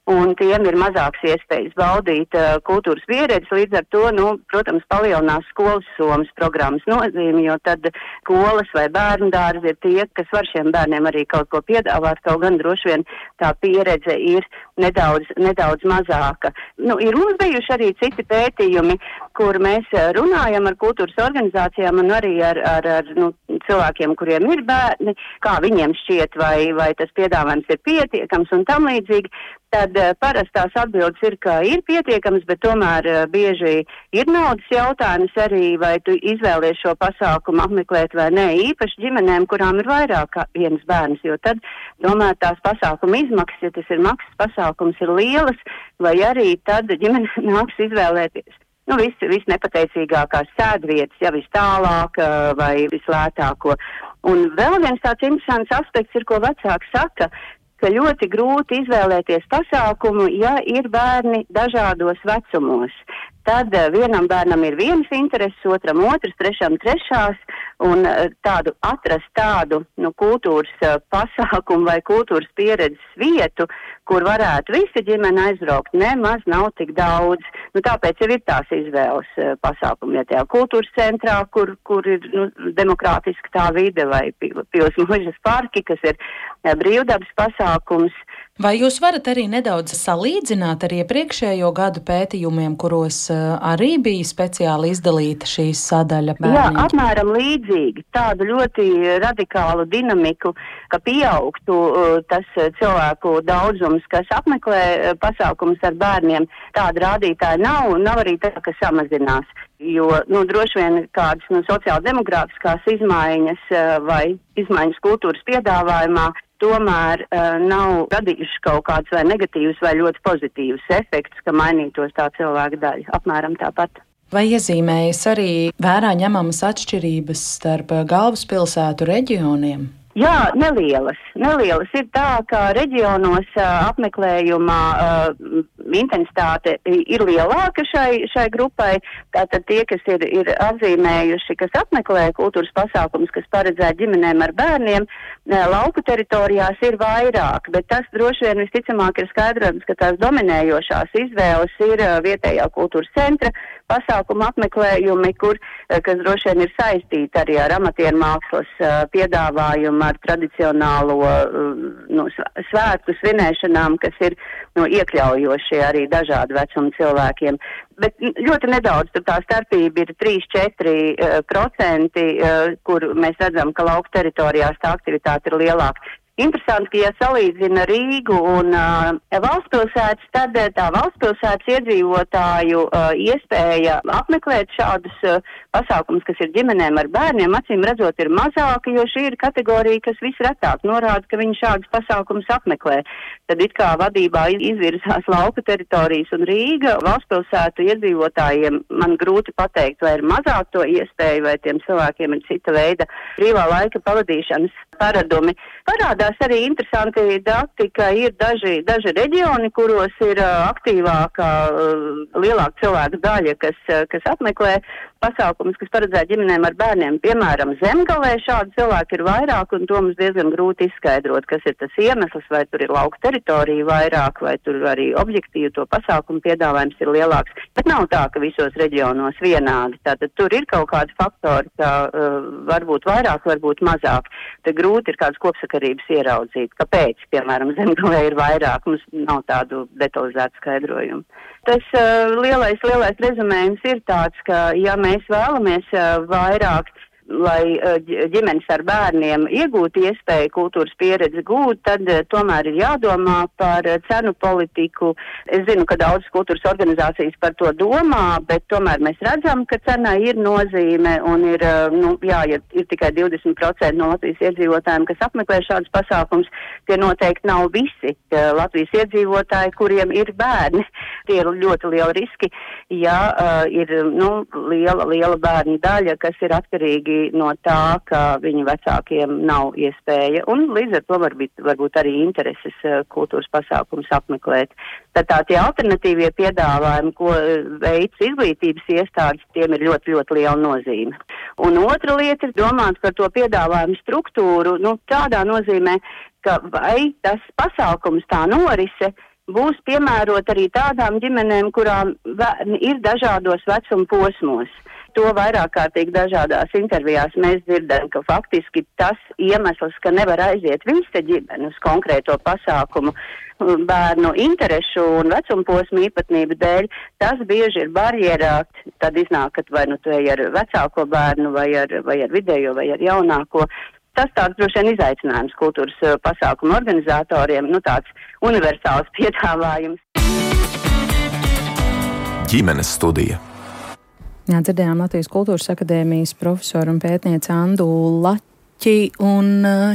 un tiem ir mazāks iespējas baudīt uh, kultūras pieredzi, līdz ar to, nu, protams, palielinās skolas somas programmas nozīmi, jo tad skolas vai bērnu dārzi ir tie, kas var šiem bērniem arī kaut ko piedāvāt, kaut gan droši vien tā pieredze ir nedaudz, nedaudz mazāka. Nu, ir mums bijuši arī citi pētījumi, kur mēs runājam ar kultūras organizācijām un arī ar, ar, ar nu, cilvēkiem, kuriem ir bērni, kā viņiem šķiet, vai, vai tas piedāvājums ir pietiekams un tam līdzīgi. Tad uh, parastās atbildes ir, ka ir pietiekams, bet tomēr uh, bieži ir naudas jautājums arī, vai tu izvēlies šo pasākumu apmeklēt vai nē, īpaši ģimenēm, kurām ir vairāk kā viens bērns, jo tad tomēr tās pasākuma izmaksas, ja tas ir maksas pasākums, ir lielas, vai arī tad ģimene nāks izvēlēties. Nu, viss vis nepateicīgākās sēdvietas, ja vis tālāk uh, vai vislētāko. Un vēl viens tāds interesants aspekts ir, ko vecāki saka, ka ļoti grūti izvēlēties pasākumu, ja ir bērni dažādos vecumos. Tad uh, vienam bērnam ir vienas intereses, otram otras, trešam trešās, un uh, tādu atrast tādu nu, kultūras uh, pasākumu vai kultūras pieredzes vietu, kur varētu visi ģimene aizbraukt, nemaz nav tik daudz. Nu, tāpēc jau ir tās izvēles uh, pasākumi, ja tajā kultūras centrā, kur, kur ir nu, demokrātiski tā vide, vai Pils Mužas parki, kas ir uh, brīvdabas pasākums. Vai jūs varat arī nedaudz salīdzināt ar iepriekšējo gadu pētījumiem, kuros uh, arī bija speciāli izdalīta šīs sadaļa bērniņi? Jā, apmēram līdzīgi. Tādu ļoti radikālu dinamiku, ka pieaugtu uh, tas cilvēku daudzums, kas apmeklē uh, pasākumus ar bērniem. Tāda rādītāja nav, un nav arī tā, ka samazinās. Jo, nu, droši vien kādas nu, sociāldemokrātiskās izmaiņas uh, vai izmaiņas kultūras piedāvājumā tomēr uh, nav radījuši kaut kādus vai negatīvus vai ļoti pozitīvus efektus, ka mainītos tā cilvēka daļa. Apmēram tāpat. Vai iezīmējas arī vērā ņemamas atšķirības starp galvaspilsētu reģioniem? Jā, nelielas. Nelielas ir tā, ka reģionos uh, apmeklējumā uh, intensitāte ir lielāka šai, šai grupai. Tātad tie, kas ir, ir atzīmējuši, kas apmeklē kultūras pasākumus, kas paredzēti ģimenēm ar bērniem, uh, lauku teritorijās ir vairāk, bet tas droši vien visticamāk ir skaidrojums, ka tās dominējošās izvēles ir uh, vietējā kultūras centra pasākumu apmeklējumi, kur, uh, kas droši vien ir saistīti arī ar amatieru mākslas uh, piedāvājumu, ar tradicionālo nu, svētku svinēšanām, kas ir nu, iekļaujošie arī dažādu vecumu cilvēkiem. Bet ļoti nedaudz tur tā starpība ir trīs līdz četri procenti, kur mēs redzam, ka lauku teritorijās tā aktivitāte ir lielāka. Interesanti, ka, ja salīdzina Rīgu un uh, valstspilsētas, tad tā valstspilsētas iedzīvotāju uh, iespēja apmeklēt šādus uh, pasākumus, kas ir ģimenēm ar bērniem, acīm redzot, ir mazāka, jo šī ir kategorija, kas visretāk norāda, ka viņi šādus pasākumus apmeklē. Tad it kā vadībā izvirzās lauka teritorijas un Rīga. Valstspilsētu iedzīvotājiem man grūti pateikt, vai ir mazāk to iespēju, vai tiem cilvēkiem ir cita veida brīvā laika pavadīšanas paradumi. Parādās arī interesanti dati, ka ir daži, daži reģioni, kuros ir uh, aktīvāka, uh, lielāka cilvēku daļa, kas, uh, kas apmeklē pasākumus, kas paredzēti ģimenēm ar bērniem. Piemēram, Zemgalē šādi cilvēki ir vairāk, un to mums diezgan grūti izskaidrot, kas ir tas iemesls, vai tur ir lauka teritorija vairāk, vai tur arī objektīvi to pasākumu piedāvājums ir lielāks. Bet nav tā, ka visos reģionos vienādi. Tātad tur ir kaut kādi faktori, ka uh, varbūt vairāk, varbūt mazāk. Te grūti ir kādas kopsakarības ieraudzīt. Kāpēc, piemēram, Zemgalē ir vairāk, mums nav tādu detalizētu skaidrojumu. Tas uh, lielais, lielais rezumējums ir tāds, ka, ja mēs vēlamies uh, vairāk lai ģimenes ar bērniem iegūtu iespēju kultūras pieredzi gūt, tad tomēr ir jādomā par cenu politiku. Es zinu, ka daudzas kultūras organizācijas par to domā, bet tomēr mēs redzam, ka cenai ir nozīme un ir, nu, jā, ja ir tikai divdesmit procenti no Latvijas iedzīvotājiem, kas apmeklē šādus pasākums, tie noteikti nav visi Latvijas iedzīvotāji, kuriem ir bērni. Tie ir ļoti lieli riski, ja uh, ir, nu, liela, liela bērnu daļa, kas ir atkarīgi no tā, ka viņu vecākiem nav iespēja, un līdz ar to varbūt, varbūt arī intereses kultūras pasākums apmeklēt. Tad tā tie alternatīvie piedāvājumi, ko veids izglītības iestādes, tiem ir ļoti, ļoti liela nozīme. Un otra lieta ir domāt par to piedāvājumu struktūru, nu, tādā nozīmē, ka vai tas pasākums tā norise būs piemērot arī tādām ģimenēm, kurām ir dažādos vecuma posmos. To vairāk kārtīgi dažādās intervijās mēs dzirdam, ka faktiski tas iemesls, ka nevar aiziet visa ģimene uz konkrēto pasākumu bērnu interešu un vecuma posmu īpatnību dēļ, tas bieži ir barjerā. Tad iznāk, ka vai nu tu ej ar vecāko bērnu, vai ar, vai ar vidējo, vai ar jaunāko. Tas tāds droši vien izaicinājums kultūras pasākumu organizatoriem, nu tāds universāls piedāvājums. Ģimenes studija. Jā, dzirdējām Latvijas Kultūras akadēmijas profesoru un pētnieci Andu Laķi, un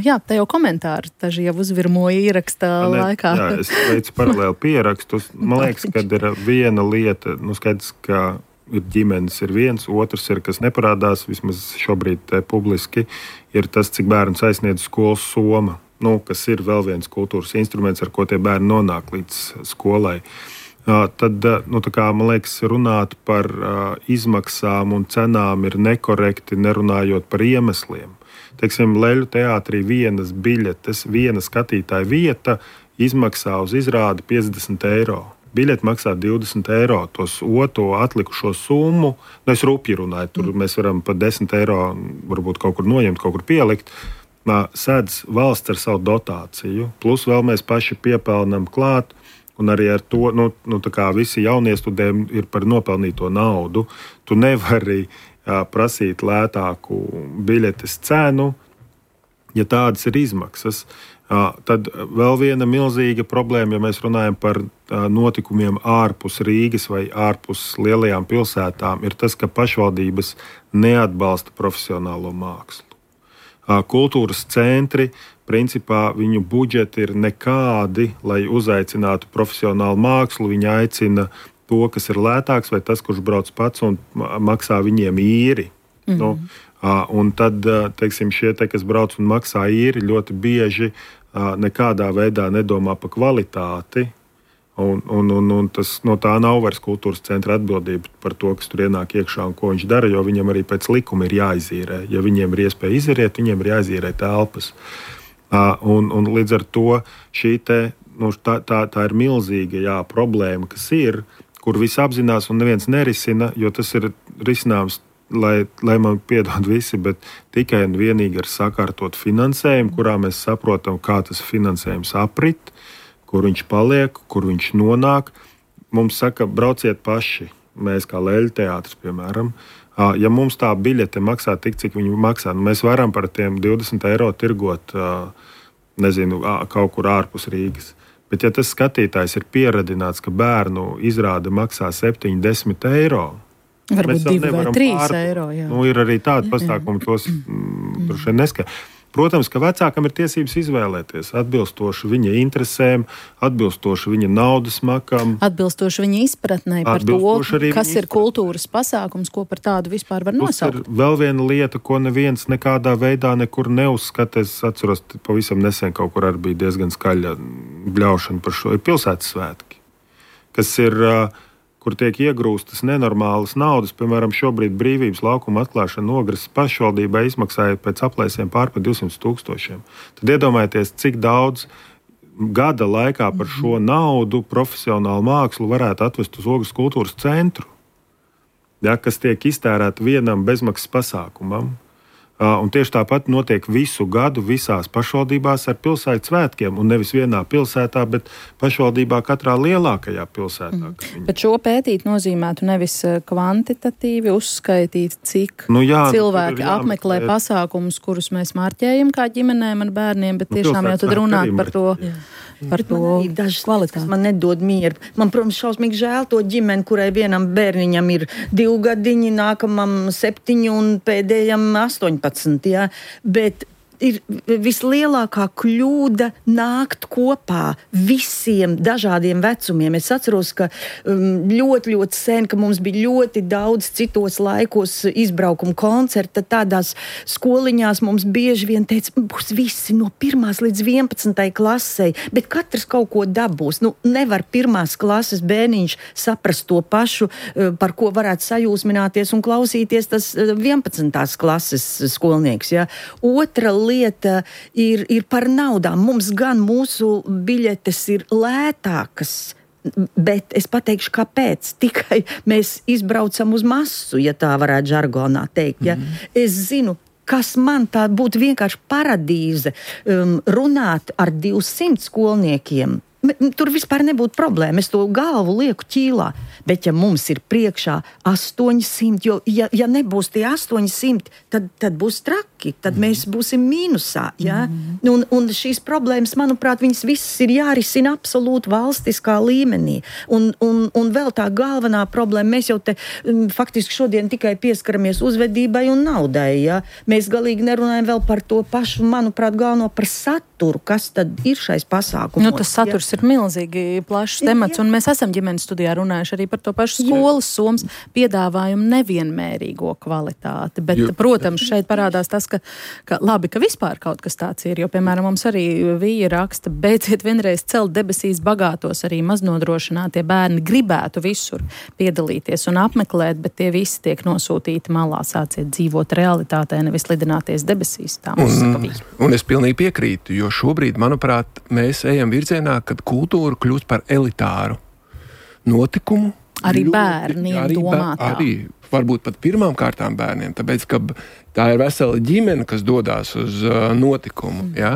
jā, te jau komentāri taži jau uzvirmoja ierakstā ne, laikā. Jā, es veicu paralēli pierakstus. Man liekas, kad ir viena lieta, nu skaidrs, ka ir ģimenes ir viens, otrs ir, kas neparādās, vismaz šobrīd te publiski, ir tas, cik bērns aizsniedz skolas soma, nu, kas ir vēl viens kultūras instruments, ar ko tie bērni nonāk līdz skolai. Uh, tad, nu, tā kā, man liekas, runāt par uh, izmaksām un cenām ir nekorekti, nerunājot par iemesliem. Teiksim, Leļu teātrī vienas biļetes, viena skatītāja vieta izmaksā uz izrādi piecdesmit eiro. Biļeti maksā divdesmit eiro, tos otro atlikušo summu, nu es rupji runāju, tur mēs varam pa desmit eiro varbūt kaut kur noņemt, kaut kur pielikt, uh, sēdz valsts ar savu dotāciju, plus vēl mēs paši piepelnam klāt. Un arī ar to, nu, nu tā kā visi jaunie studēji ir par nopelnīto naudu. Tu nevari uh, prasīt lētāku biļetes cenu, ja tādas ir izmaksas. Uh, tad vēl viena milzīga problēma, ja mēs runājam par uh, notikumiem ārpus Rīgas vai ārpus lielajām pilsētām, ir tas, ka pašvaldības neatbalsta profesionālo mākslu. Uh, kultūras centri, principā viņu budžeti ir nekādi, lai uzaicinātu profesionālu mākslu. Viņi aicina to, kas ir lētāks, vai tas, kurš brauc pats un maksā viņiem īri. Mm-hmm. Nu, un tad, teiksim, šie, te, kas brauc un maksā īri, ļoti bieži nekādā veidā nedomā par kvalitāti. Un, un, un, un tas, no tā nav vairs kultūras centra atbildība par to, kas tur ienāk iekšā un ko viņš dara, jo viņam arī pēc likuma ir jāizīrē. Ja viņiem ir iespēja iziet, viņiem ir jāizīrē telpas. Uh, un, un līdz ar to šī te, nu, tā, tā, tā ir milzīga jā, problēma, kas ir, kur visi apzinās un neviens nerisina, jo tas ir risinājums, lai, lai man piedod visi, bet tikai un vienīgi ar sakārtot finansējumu, kurā mēs saprotam, kā tas finansējums aprit, kur viņš paliek, kur viņš nonāk. Mums saka, brauciet paši, mēs kā Leļu teātris, piemēram. Ja mums tā biļete maksā tik, cik viņi maksā, nu mēs varam par tiem divdesmit eiro tirgot, nezinu, kaut kur ārpus Rīgas. Bet ja tas skatītājs ir pieradināts, ka bērnu izrāde maksā septiņi desmit eiro, varbūt divi vai trīs eiro, jā. Nu, ir arī tādi pasākumi, tos mm, droši vien neskatīt. Protams, ka vecākam ir tiesības izvēlēties atbilstoši viņa interesēm, atbilstoši viņa naudas makam. Atbilstoši viņa izpratnei par to, kas ir kultūras pasākums, ko par tādu vispār var nosaukt. Tas ir vēl viena lieta, ko neviens nekādā veidā nekur neuzskata. Es atceros, pavisam nesen kaut kur arī bija diezgan skaļa bļaušana par šo. Ir pilsētas svētki, kas ir... kur tiek iegrūstas nenormālas naudas. Piemēram, šobrīd Brīvības laukuma atklāšana Nogras pašvaldībai izmaksāja pēc aplēsiem pār par divsimt tūkstošiem. Tad iedomājieties, cik daudz gada laikā par šo naudu profesionālu mākslu varētu atvest uz Ogres kultūras centru, ja, kas tiek iztērēta vienam bezmaksas pasākumam. Un tieši tāpat notiek visu gadu visās pašvaldībās ar pilsētas svētkiem, un nevis vienā pilsētā, bet pašvaldībā katrā lielākajā pilsētā. Mm. Bet šo pētīt nozīmētu nevis kvantitatīvi uzskaitīt, cik nu jā, cilvēki apmeklē pasākumus, kurus mēs marķējam kā ģimenēm ar bērniem, bet tiešām jau tad runāt par to. Jā. Par bet to man ir dažas lietas, kas man nedod mieru. Man, protams, šausmīgi žēl to ģimeni, kurai vienam bērniņam ir divi gadiņi, nākamam septiņi un pēdējam astoņpadsmit. Ja? Bet ir vislielākā kļūda nākt kopā visiem dažādiem vecumiem. Es atceros, ka um, ļoti, ļoti sen, ka mums bija ļoti daudz citos laikos izbraukumu koncerta, tādās skoliņās mums bieži vien teica, būs visi no pirmās līdz vienpadsmitai klasei, bet katrs kaut ko dabūs. Nu, nevar pirmās klases bērniņš saprast to pašu, par ko varētu sajūsmināties un klausīties tas vienpadsmitās klases skolnieks. Ja? Otra lieta ir, ir par naudām. Mums gan mūsu biļetes ir lētākas, bet es pateikšu, kāpēc. Tikai mēs izbraucam uz masu, ja tā varētu žargonā teikt. Ja? Mm-hmm. Es zinu, kas man tā būtu vienkārši paradīze um, runāt ar divsimt skolniekiem. Tur vispār nebūtu problēma. Es to galvu lieku ķīlā. Bet ja mums ir priekšā astoņsimt, jo ja, ja nebūs tie astoņsimt, tad, tad būs traki. Tad mm. mēs būsim mīnusā. Ja? Mm. Un, un šīs problēmas, manuprāt, viņas visas ir jārisina absolūti valstiskā līmenī. Un, un, un vēl tā galvenā problēma, mēs jau te um, faktiski šodien tikai pieskaramies uzvedībai un naudai. Ja? Mēs galīgi nerunājam vēl par to pašu, manuprāt, galveno par saturu, kas tad ir šais pasākumos. Nu, tas saturs ja? ir milzīgi plašs temats, un mēs esam ģimenes studijā runājuši arī par to pašu skolas somas piedāvājumu nevienmērīgo kvalitāti. Bet, jo, protams, šeit parādās tas, ka, ka labi, ka vispār kaut kas tāds ir, jo, piemēram, mums arī Vija raksta, beidziet vienreiz celt debesīs bagātos, arī maznodrošinātie bērni gribētu visur piedalīties un apmeklēt, bet tie visi tiek nosūtīti malā, sāciet dzīvot realitātē, nevis lidināties debesīs. Tā mums un, saka Vija. Un es pilnīgi piekrītu, jo šobrīd, manuprāt, mēs ejam virzienā, kad kultūra kļūst par elitāru notikumu. Arī ļoti, bērniem arī, domātā. Arī varbūt pat pirmām kārtām bērniem, tāpēc, ka tā ir vesela ģimene, kas dodās uz uh, notikumu. Mm. Ja?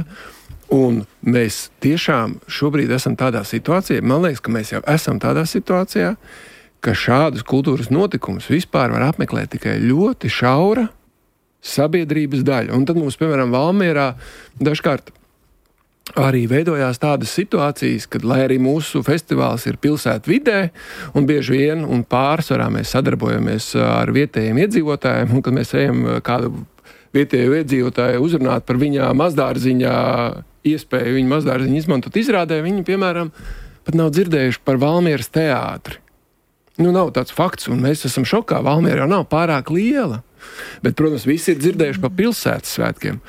Un mēs tiešām šobrīd esam tādā situācijā, man liekas, ka mēs jau esam tādā situācijā, ka šādus kultūras notikumus vispār var apmeklēt tikai ļoti šaura sabiedrības daļa. Un tad mums, piemēram, Valmierā dažkārt arī veidojās tādas situācijas, kad, lai arī mūsu festivāls ir pilsētu vidē, un bieži vien un pārsvarā mēs sadarbojamies ar vietējiem iedzīvotājiem, un kad mēs ejam kādu vietēju iedzīvotāju uzrunāt par viņa mazdārziņā iespēju, viņa mazdārziņu izmantot izrādē, viņi, piemēram, pat nav dzirdējuši par Valmieras teātri. Nu, nav tāds fakts, un mēs esam šokā. Valmiera jau nav pārāk liela, bet, protams, visi ir dzirdējuši par pilsētas svētkiem.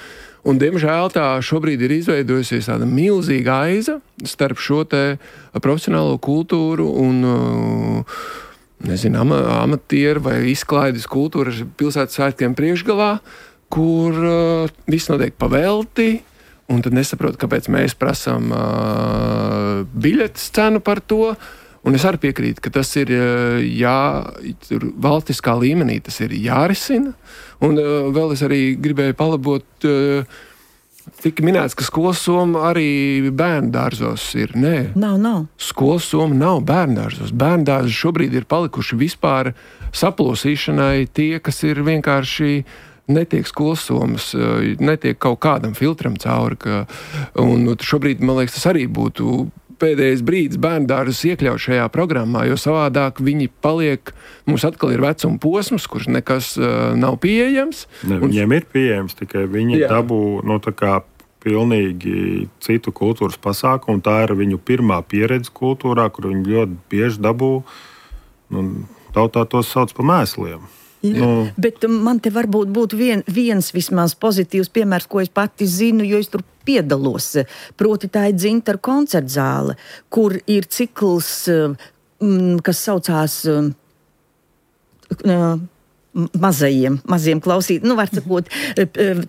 Un, diemžēl, tā šobrīd ir izveidojusies tāda milzīga aiza starp šo te profesionālo kultūru un, nezinu, ama, amatieru vai izklaides kultūru pilsētas svētkiem priekšgalā, kur uh, viss notiek pavelti, un tad nesaprot, kāpēc mēs prasām uh, biļetes cenu par to. Un es arī piekrītu, ka tas ir jā, valstiskā līmenī, tas ir jārisina. Un uh, vēl es arī gribēju palabot, uh, tika minēts, ka skolas soma arī bērndārzos ir. Nē, nav, nav. Skolas soma nav bērndārzos. Bērndārzi šobrīd ir palikuši vispār saplosīšanai tie, kas ir vienkārši netiek skolas somas, netiek kaut kādam filtram cauri. Ka, un šobrīd, man liekas, tas arī būtu pēdējais brīdis bērndārzus iekļaut šajā programmā, jo savādāk viņi paliek, mums atkal ir vecuma posms, kurš nekas uh, nav pieejams. Ne, viņiem un... ir pieejams, tikai viņi jā. dabū, nu tā kā pilnīgi citu kultūras pasākumu, tā ir viņu pirmā pieredze kultūrā, kur viņi ļoti bieži dabū, nu, tautā tos sauc pa mēsliem. Jā, nu. Bet man te varbūt būtu vien, viens vismaz pozitīvs piemērs, ko es pati zinu, jo es tur piedalos. Proti tā ir Dzintara koncertzāle, kur ir cikls, kas saucās mazajiem, maziem klausīt, nu, var sakot,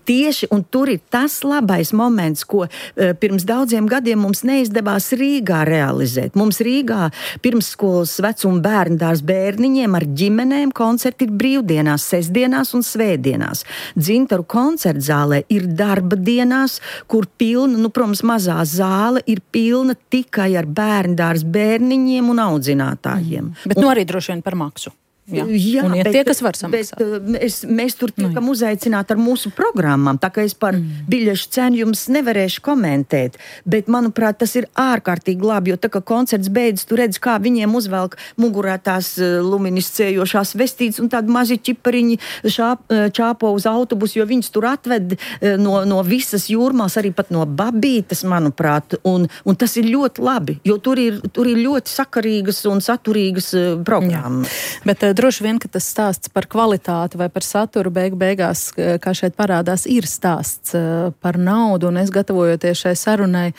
tieši, un tur ir tas labais moments, ko pirms daudziem gadiem mums neizdevās Rīgā realizēt. Mums Rīgā pirmsskolas vecuma bērndārs bērniņiem ar ģimenēm koncerti ir brīvdienās, sestdienās un svētdienās. Dzintaru koncertzālē ir darba dienās, kur pilna, nu, protams, mazā zāle ir pilna tikai ar bērndārs bērniņiem un audzinātājiem. Bet un, nu arī droši vien par maksu. Jā, jā un ir bet, tie, kas var samaksāt. Bet, es, mēs tur tiekam nu, uzaicināti ar mūsu programmām, tā kā es par mm. biļešu cenu jums nevarēšu komentēt, bet, manuprāt, tas ir ārkārtīgi labi, jo tā kā koncerts beidzas, tu redz, kā viņiem uzvelk mugurā tās luminiscējošās vestītes un tādi mazi ķipariņi šāp, čāpo uz autobusu, jo viņus tur atved no, no visas jūrmās, arī pat no Babītes, manuprāt, un, un tas ir ļoti labi, jo tur ir, tur ir ļoti sakarīgas un saturīgas programmas. Bet droši vien, ka tas stāsts par kvalitāti vai par saturu beigu beigās, kā šeit parādās, ir stāsts par naudu, un es gatavojoties šai sarunai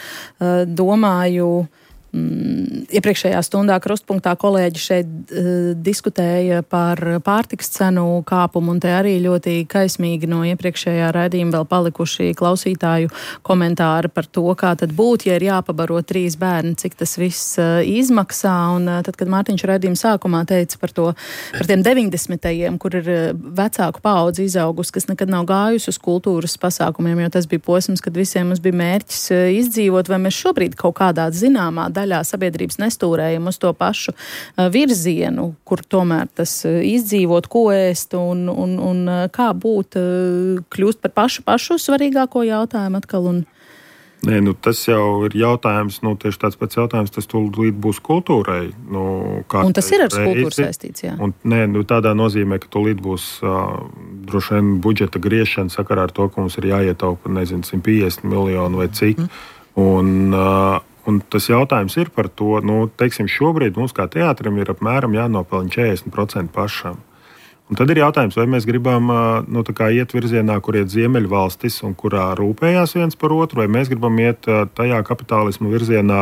domāju, Mm, iepriekšējā stundā krustpunktā kolēģi šeit uh, diskutēja par pārtikas cenu kāpumu, un te arī ļoti kaismīgi no iepriekšējā raidījuma vēl palikuši klausītāju komentāri par to, kā tad būt, ja ir jāpabaro trīs bērni, cik tas viss uh, izmaksā, un uh, tad, kad Mārtiņš raidījuma sākumā teica par to, par tiem deviņdesmitajiem, kur ir uh, vecāku paudzi izaugus, kas nekad nav gājusi uz kultūras pasākumiem, jo tas bija posms, kad visiem mums bija mērķis uh, izdzīvot, vai mēs šobrīd kaut kādā zināmā daļā sabiedrības nestūrējam uz to pašu uh, virzienu, kur tomēr tas uh, izdzīvot, ko ēst un, un, un uh, kā būt, uh, kļūst par pašu pašu svarīgāko jautājumu atkal. Un... Nē, nu, tas jau ir jautājums, nu, tieši tāds pats jautājums, tas tūlīt būs kultūrai. Nu, un tas ir ar kultūru saistīts, jā. Un, nē, nu, tādā nozīmē, ka tūlīt būs uh, droši vien budžeta griešana sakarā ar to, ka mums ir jāietaupa, nezinu, simt piecdesmit miljonu vai cik. Mm. Un, uh, Un tas jautājums ir par to, nu, teiksim, šobrīd mums kā teātrim ir apmēram jānopelna četrdesmit procenti pašam. Un tad ir jautājums, vai mēs gribam nu, tā kā iet virzienā, kur iet Ziemeļvalstis un kurā rūpējās viens par otru, vai mēs gribam iet tajā kapitālismu virzienā,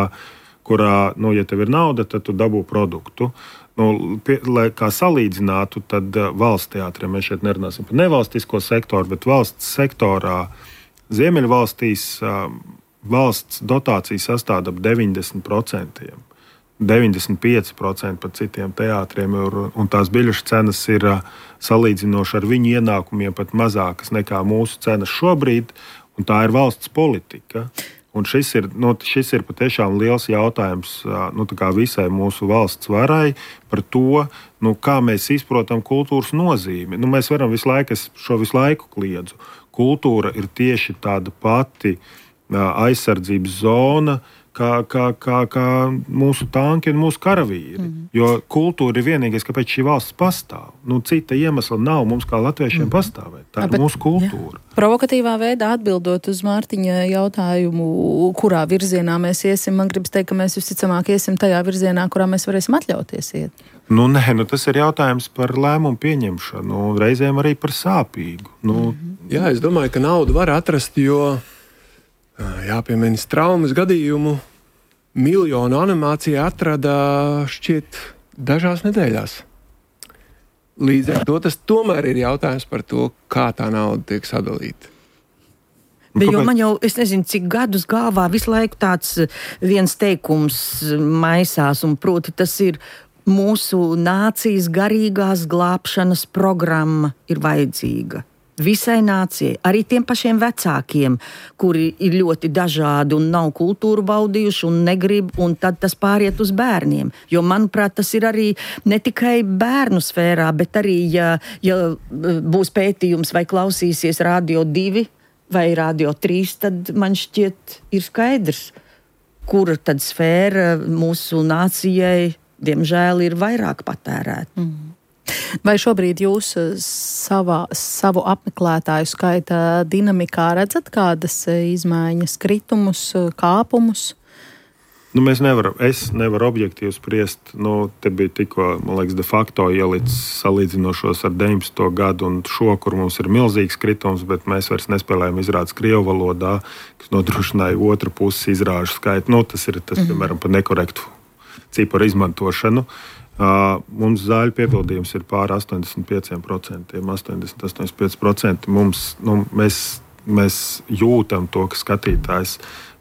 kurā, nu, ja tev ir nauda, tad tu dabū produktu. Nu, pie, lai kā salīdzinātu, tad valsts teātriem, mēs šeit nerunāsim par nevalstisko sektoru, bet valsts sektorā Ziemeļvalstīs valsts dotācija sastāda ap deviņdesmit procenti. deviņdesmit pieci procenti par citiem teātriem, un tās biļešu cenas ir salīdzinoši ar viņu ienākumiem pat mazākas nekā mūsu cenas šobrīd, un tā ir valsts politika. Un šis ir, nu, šis ir patiešām liels jautājums nu, visai mūsu valsts varai par to, nu, kā mēs izprotam kultūras nozīmi. Nu, mēs varam visu laiku, es šo visu laiku kliedzu. Kultūra ir tieši tāda pati aizsardzības zona, kā, kā, kā, kā mūsu tanki un mūsu karavīri. Mm. Jo kultūra ir vienīgais, kāpēc šī valsts pastāv. Nu, cita iemesla nav mums kā latviešiem mm. pastāvēt. Tā ir Bet, mūsu kultūra. Jā. Provokatīvā veidā atbildot uz Mārtiņa jautājumu, kurā virzienā mēs iesim, man gribas teikt, ka mēs visticamāk iesim tajā virzienā, kurā mēs varēsim atļauties iet. Nu, nē, nu, tas ir jautājums par lēmumu pieņemšanu, reizēm arī par sāpīgu. Nu, mm-hmm. Jā, es domāju, ka naudu var atrast, jo jāpiemina traumas gadījumu. Miljonu animācija atrada šķiet dažās nedēļās. Līdz ar to tas tomēr ir jautājums par to, kā tā nauda tiek sadalīta. Bet, jo man jau, es nezinu, cik gadus galvā visu laiku tāds viens teikums maisās, un proti tas ir mūsu nācijas garīgās glābšanas programma ir vajadzīga. Visai nācijai, arī tiem pašiem vecākiem, kuri ir ļoti dažādi un nav kultūru baudījuši un negrib, un tad tas pāriet uz bērniem. Jo, manuprāt, tas ir arī ne tikai bērnu sfērā, bet arī, ja, ja būs pētījums vai klausīsies Radio divi vai Radio trīs, tad man šķiet ir skaidrs, kura tad sfēra mūsu nācijai, diemžēl, ir vairāk patērēta. Mm. Vai šobrīd jūs savā, savu apmeklētāju skaita dinamikā redzat kādas izmaiņas, kritumus, kāpumus? Nu, mēs nevaram, es nevaru objektīvi spriest. Nu, te bija tikko, man liekas, de facto ielicis salīdzinošos ar deviņdesmito gadu un šo, kur mums ir milzīgs kritums, bet mēs vairs nespēlējam izrādes krievu valodā, kas nodrošināja otru pusi izrāžu skaitu. Nu, tas ir, tas, mm-hmm. piemēram, par nekorektu ciparu izmantošanu. Uh, mums zāļu piepildījums ir pār astoņdesmit pieci procenti, astoņdesmit astoņdesmit pieci procenti. Mums, nu, mēs, mēs jūtam to, ka skatītājs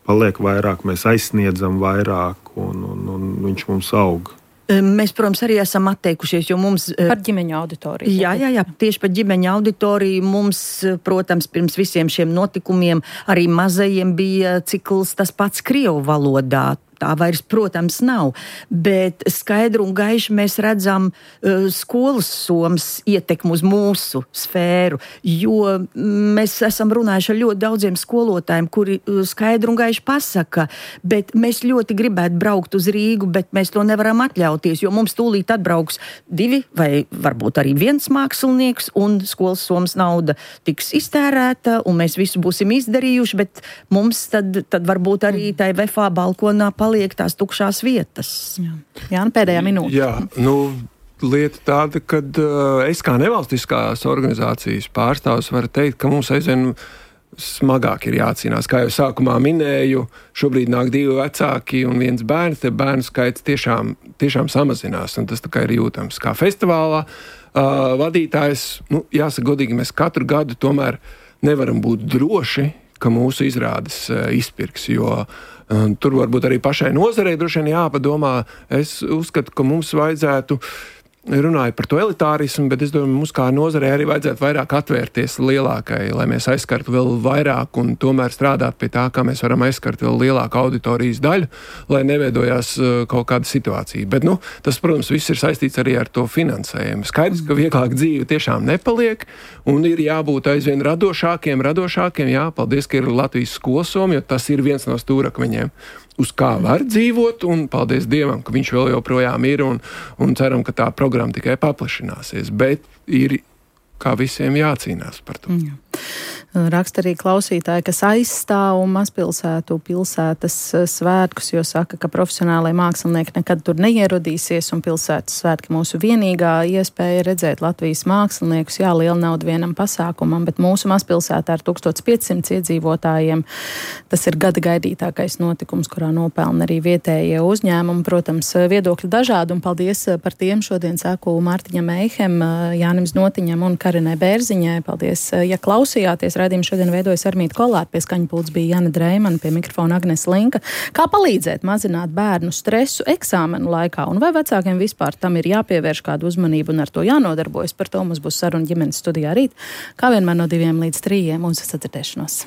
paliek vairāk, mēs aizsniedzam vairāk un, un, un viņš mums aug. Mēs, protams, arī esam atteikušies, jo mums... Par ģimeņu auditoriju. Jā, jā, jā, tieši par ģimeņu auditoriju mums, protams, pirms visiem šiem notikumiem arī mazajiem bija cikls tas pats krievu valodā. Tā vairs, protams, nav, bet skaidru un gaiši mēs redzam uh, skolas somas ietekmu uz mūsu sfēru, jo mēs esam runājuši ar ļoti daudziem skolotājiem, kuri uh, skaidru un gaiši pasaka, bet mēs ļoti gribētu braukt uz Rīgu, bet mēs to nevaram atļauties, jo mums tūlīt atbrauks divi vai varbūt arī viens mākslinieks un skolas somas nauda tiks iztērēta un mēs visu būsim izdarījuši, bet mums tad, tad varbūt arī tai V F A balkonā paliek tās tukšās vietas. Jā, Jā nu pēdējā minūte. Jā, nu, lieta tāda, ka uh, es kā nevalstiskās organizācijas pārstāvs varu teikt, ka mums aizvien smagāk ir jācīnās. Kā jau sākumā minēju, šobrīd nāk divi vecāki un viens bērns, te bērnu skaits tiešām, tiešām samazinās, un tas tā kā ir jūtams. Kā festivālā uh, vadītājs, nu, jāsaka godīgi, mēs katru gadu tomēr nevaram būt droši, ka mūsu izrādes uh, izpirks, jo uh, tur varbūt arī pašai nozarei droši vien jāpadomā. Es uzskatu, ka mums vajadzētu runāju par to elitārismu, bet es domāju, mums kā nozarei arī vajadzētu vairāk atvērties lielākai, lai mēs aizskartu vēl vairāk un tomēr strādāt pie tā, kā mēs varam aizskart vēl lielāku auditorijas daļu, lai neveidojās kaut kāda situācija. Bet, nu, tas, protams, viss ir saistīts arī ar to finansējumu. Skaidrs, ka vieglāk dzīve tiešām nepaliek un ir jābūt aizvien radošākiem, radošākiem. Jā, paldies, ka ir Latvijas skolsoma, jo tas ir viens no stūrakmeņiem, uz kā var dzīvot, un paldies Dievam, ka viņš vēl joprojām ir, un, un ceram, ka tā programma tikai paplašināsies, bet ir kā visiem jācīnās par to. Jā. Raksta arī klausītāji, kas aizstāv mazpilsētu pilsētas svētkus, jo saka, ka profesionālai mākslinieki nekad tur neierodīsies, un pilsētas svētki mūsu vienīgā iespēja redzēt Latvijas māksliniekus. Jā, liela nauda vienam pasākumam, bet mūsu mazpilsētā ar tūkstoš piecsimt iedzīvotājiem tas ir gada gaidītākais notikums, kurā nopelna arī vietējie uzņēmumi. Protams, viedokļi dažādi, un paldies par tiem šodien saku Mārtiņam Eihem, Jānim Znotiņam un Karinai Bērziņai. Paldies, ja klausījāties. Raidījumu šodien veidojas Armīta Kolāte, pie skaņu pults bija Jana Dreimana, pie mikrofona Agnes Linka. Kā palīdzēt mazināt bērnu stresu eksāmenu laikā, un vai vecākiem vispār tam ir jāpievērš kādu uzmanību un ar to jānodarbojas? Par to mums būs saruna ģimenes studijā rīt, kā vienmēr no diviem līdz trījiem. Uz sadzirdēšanos.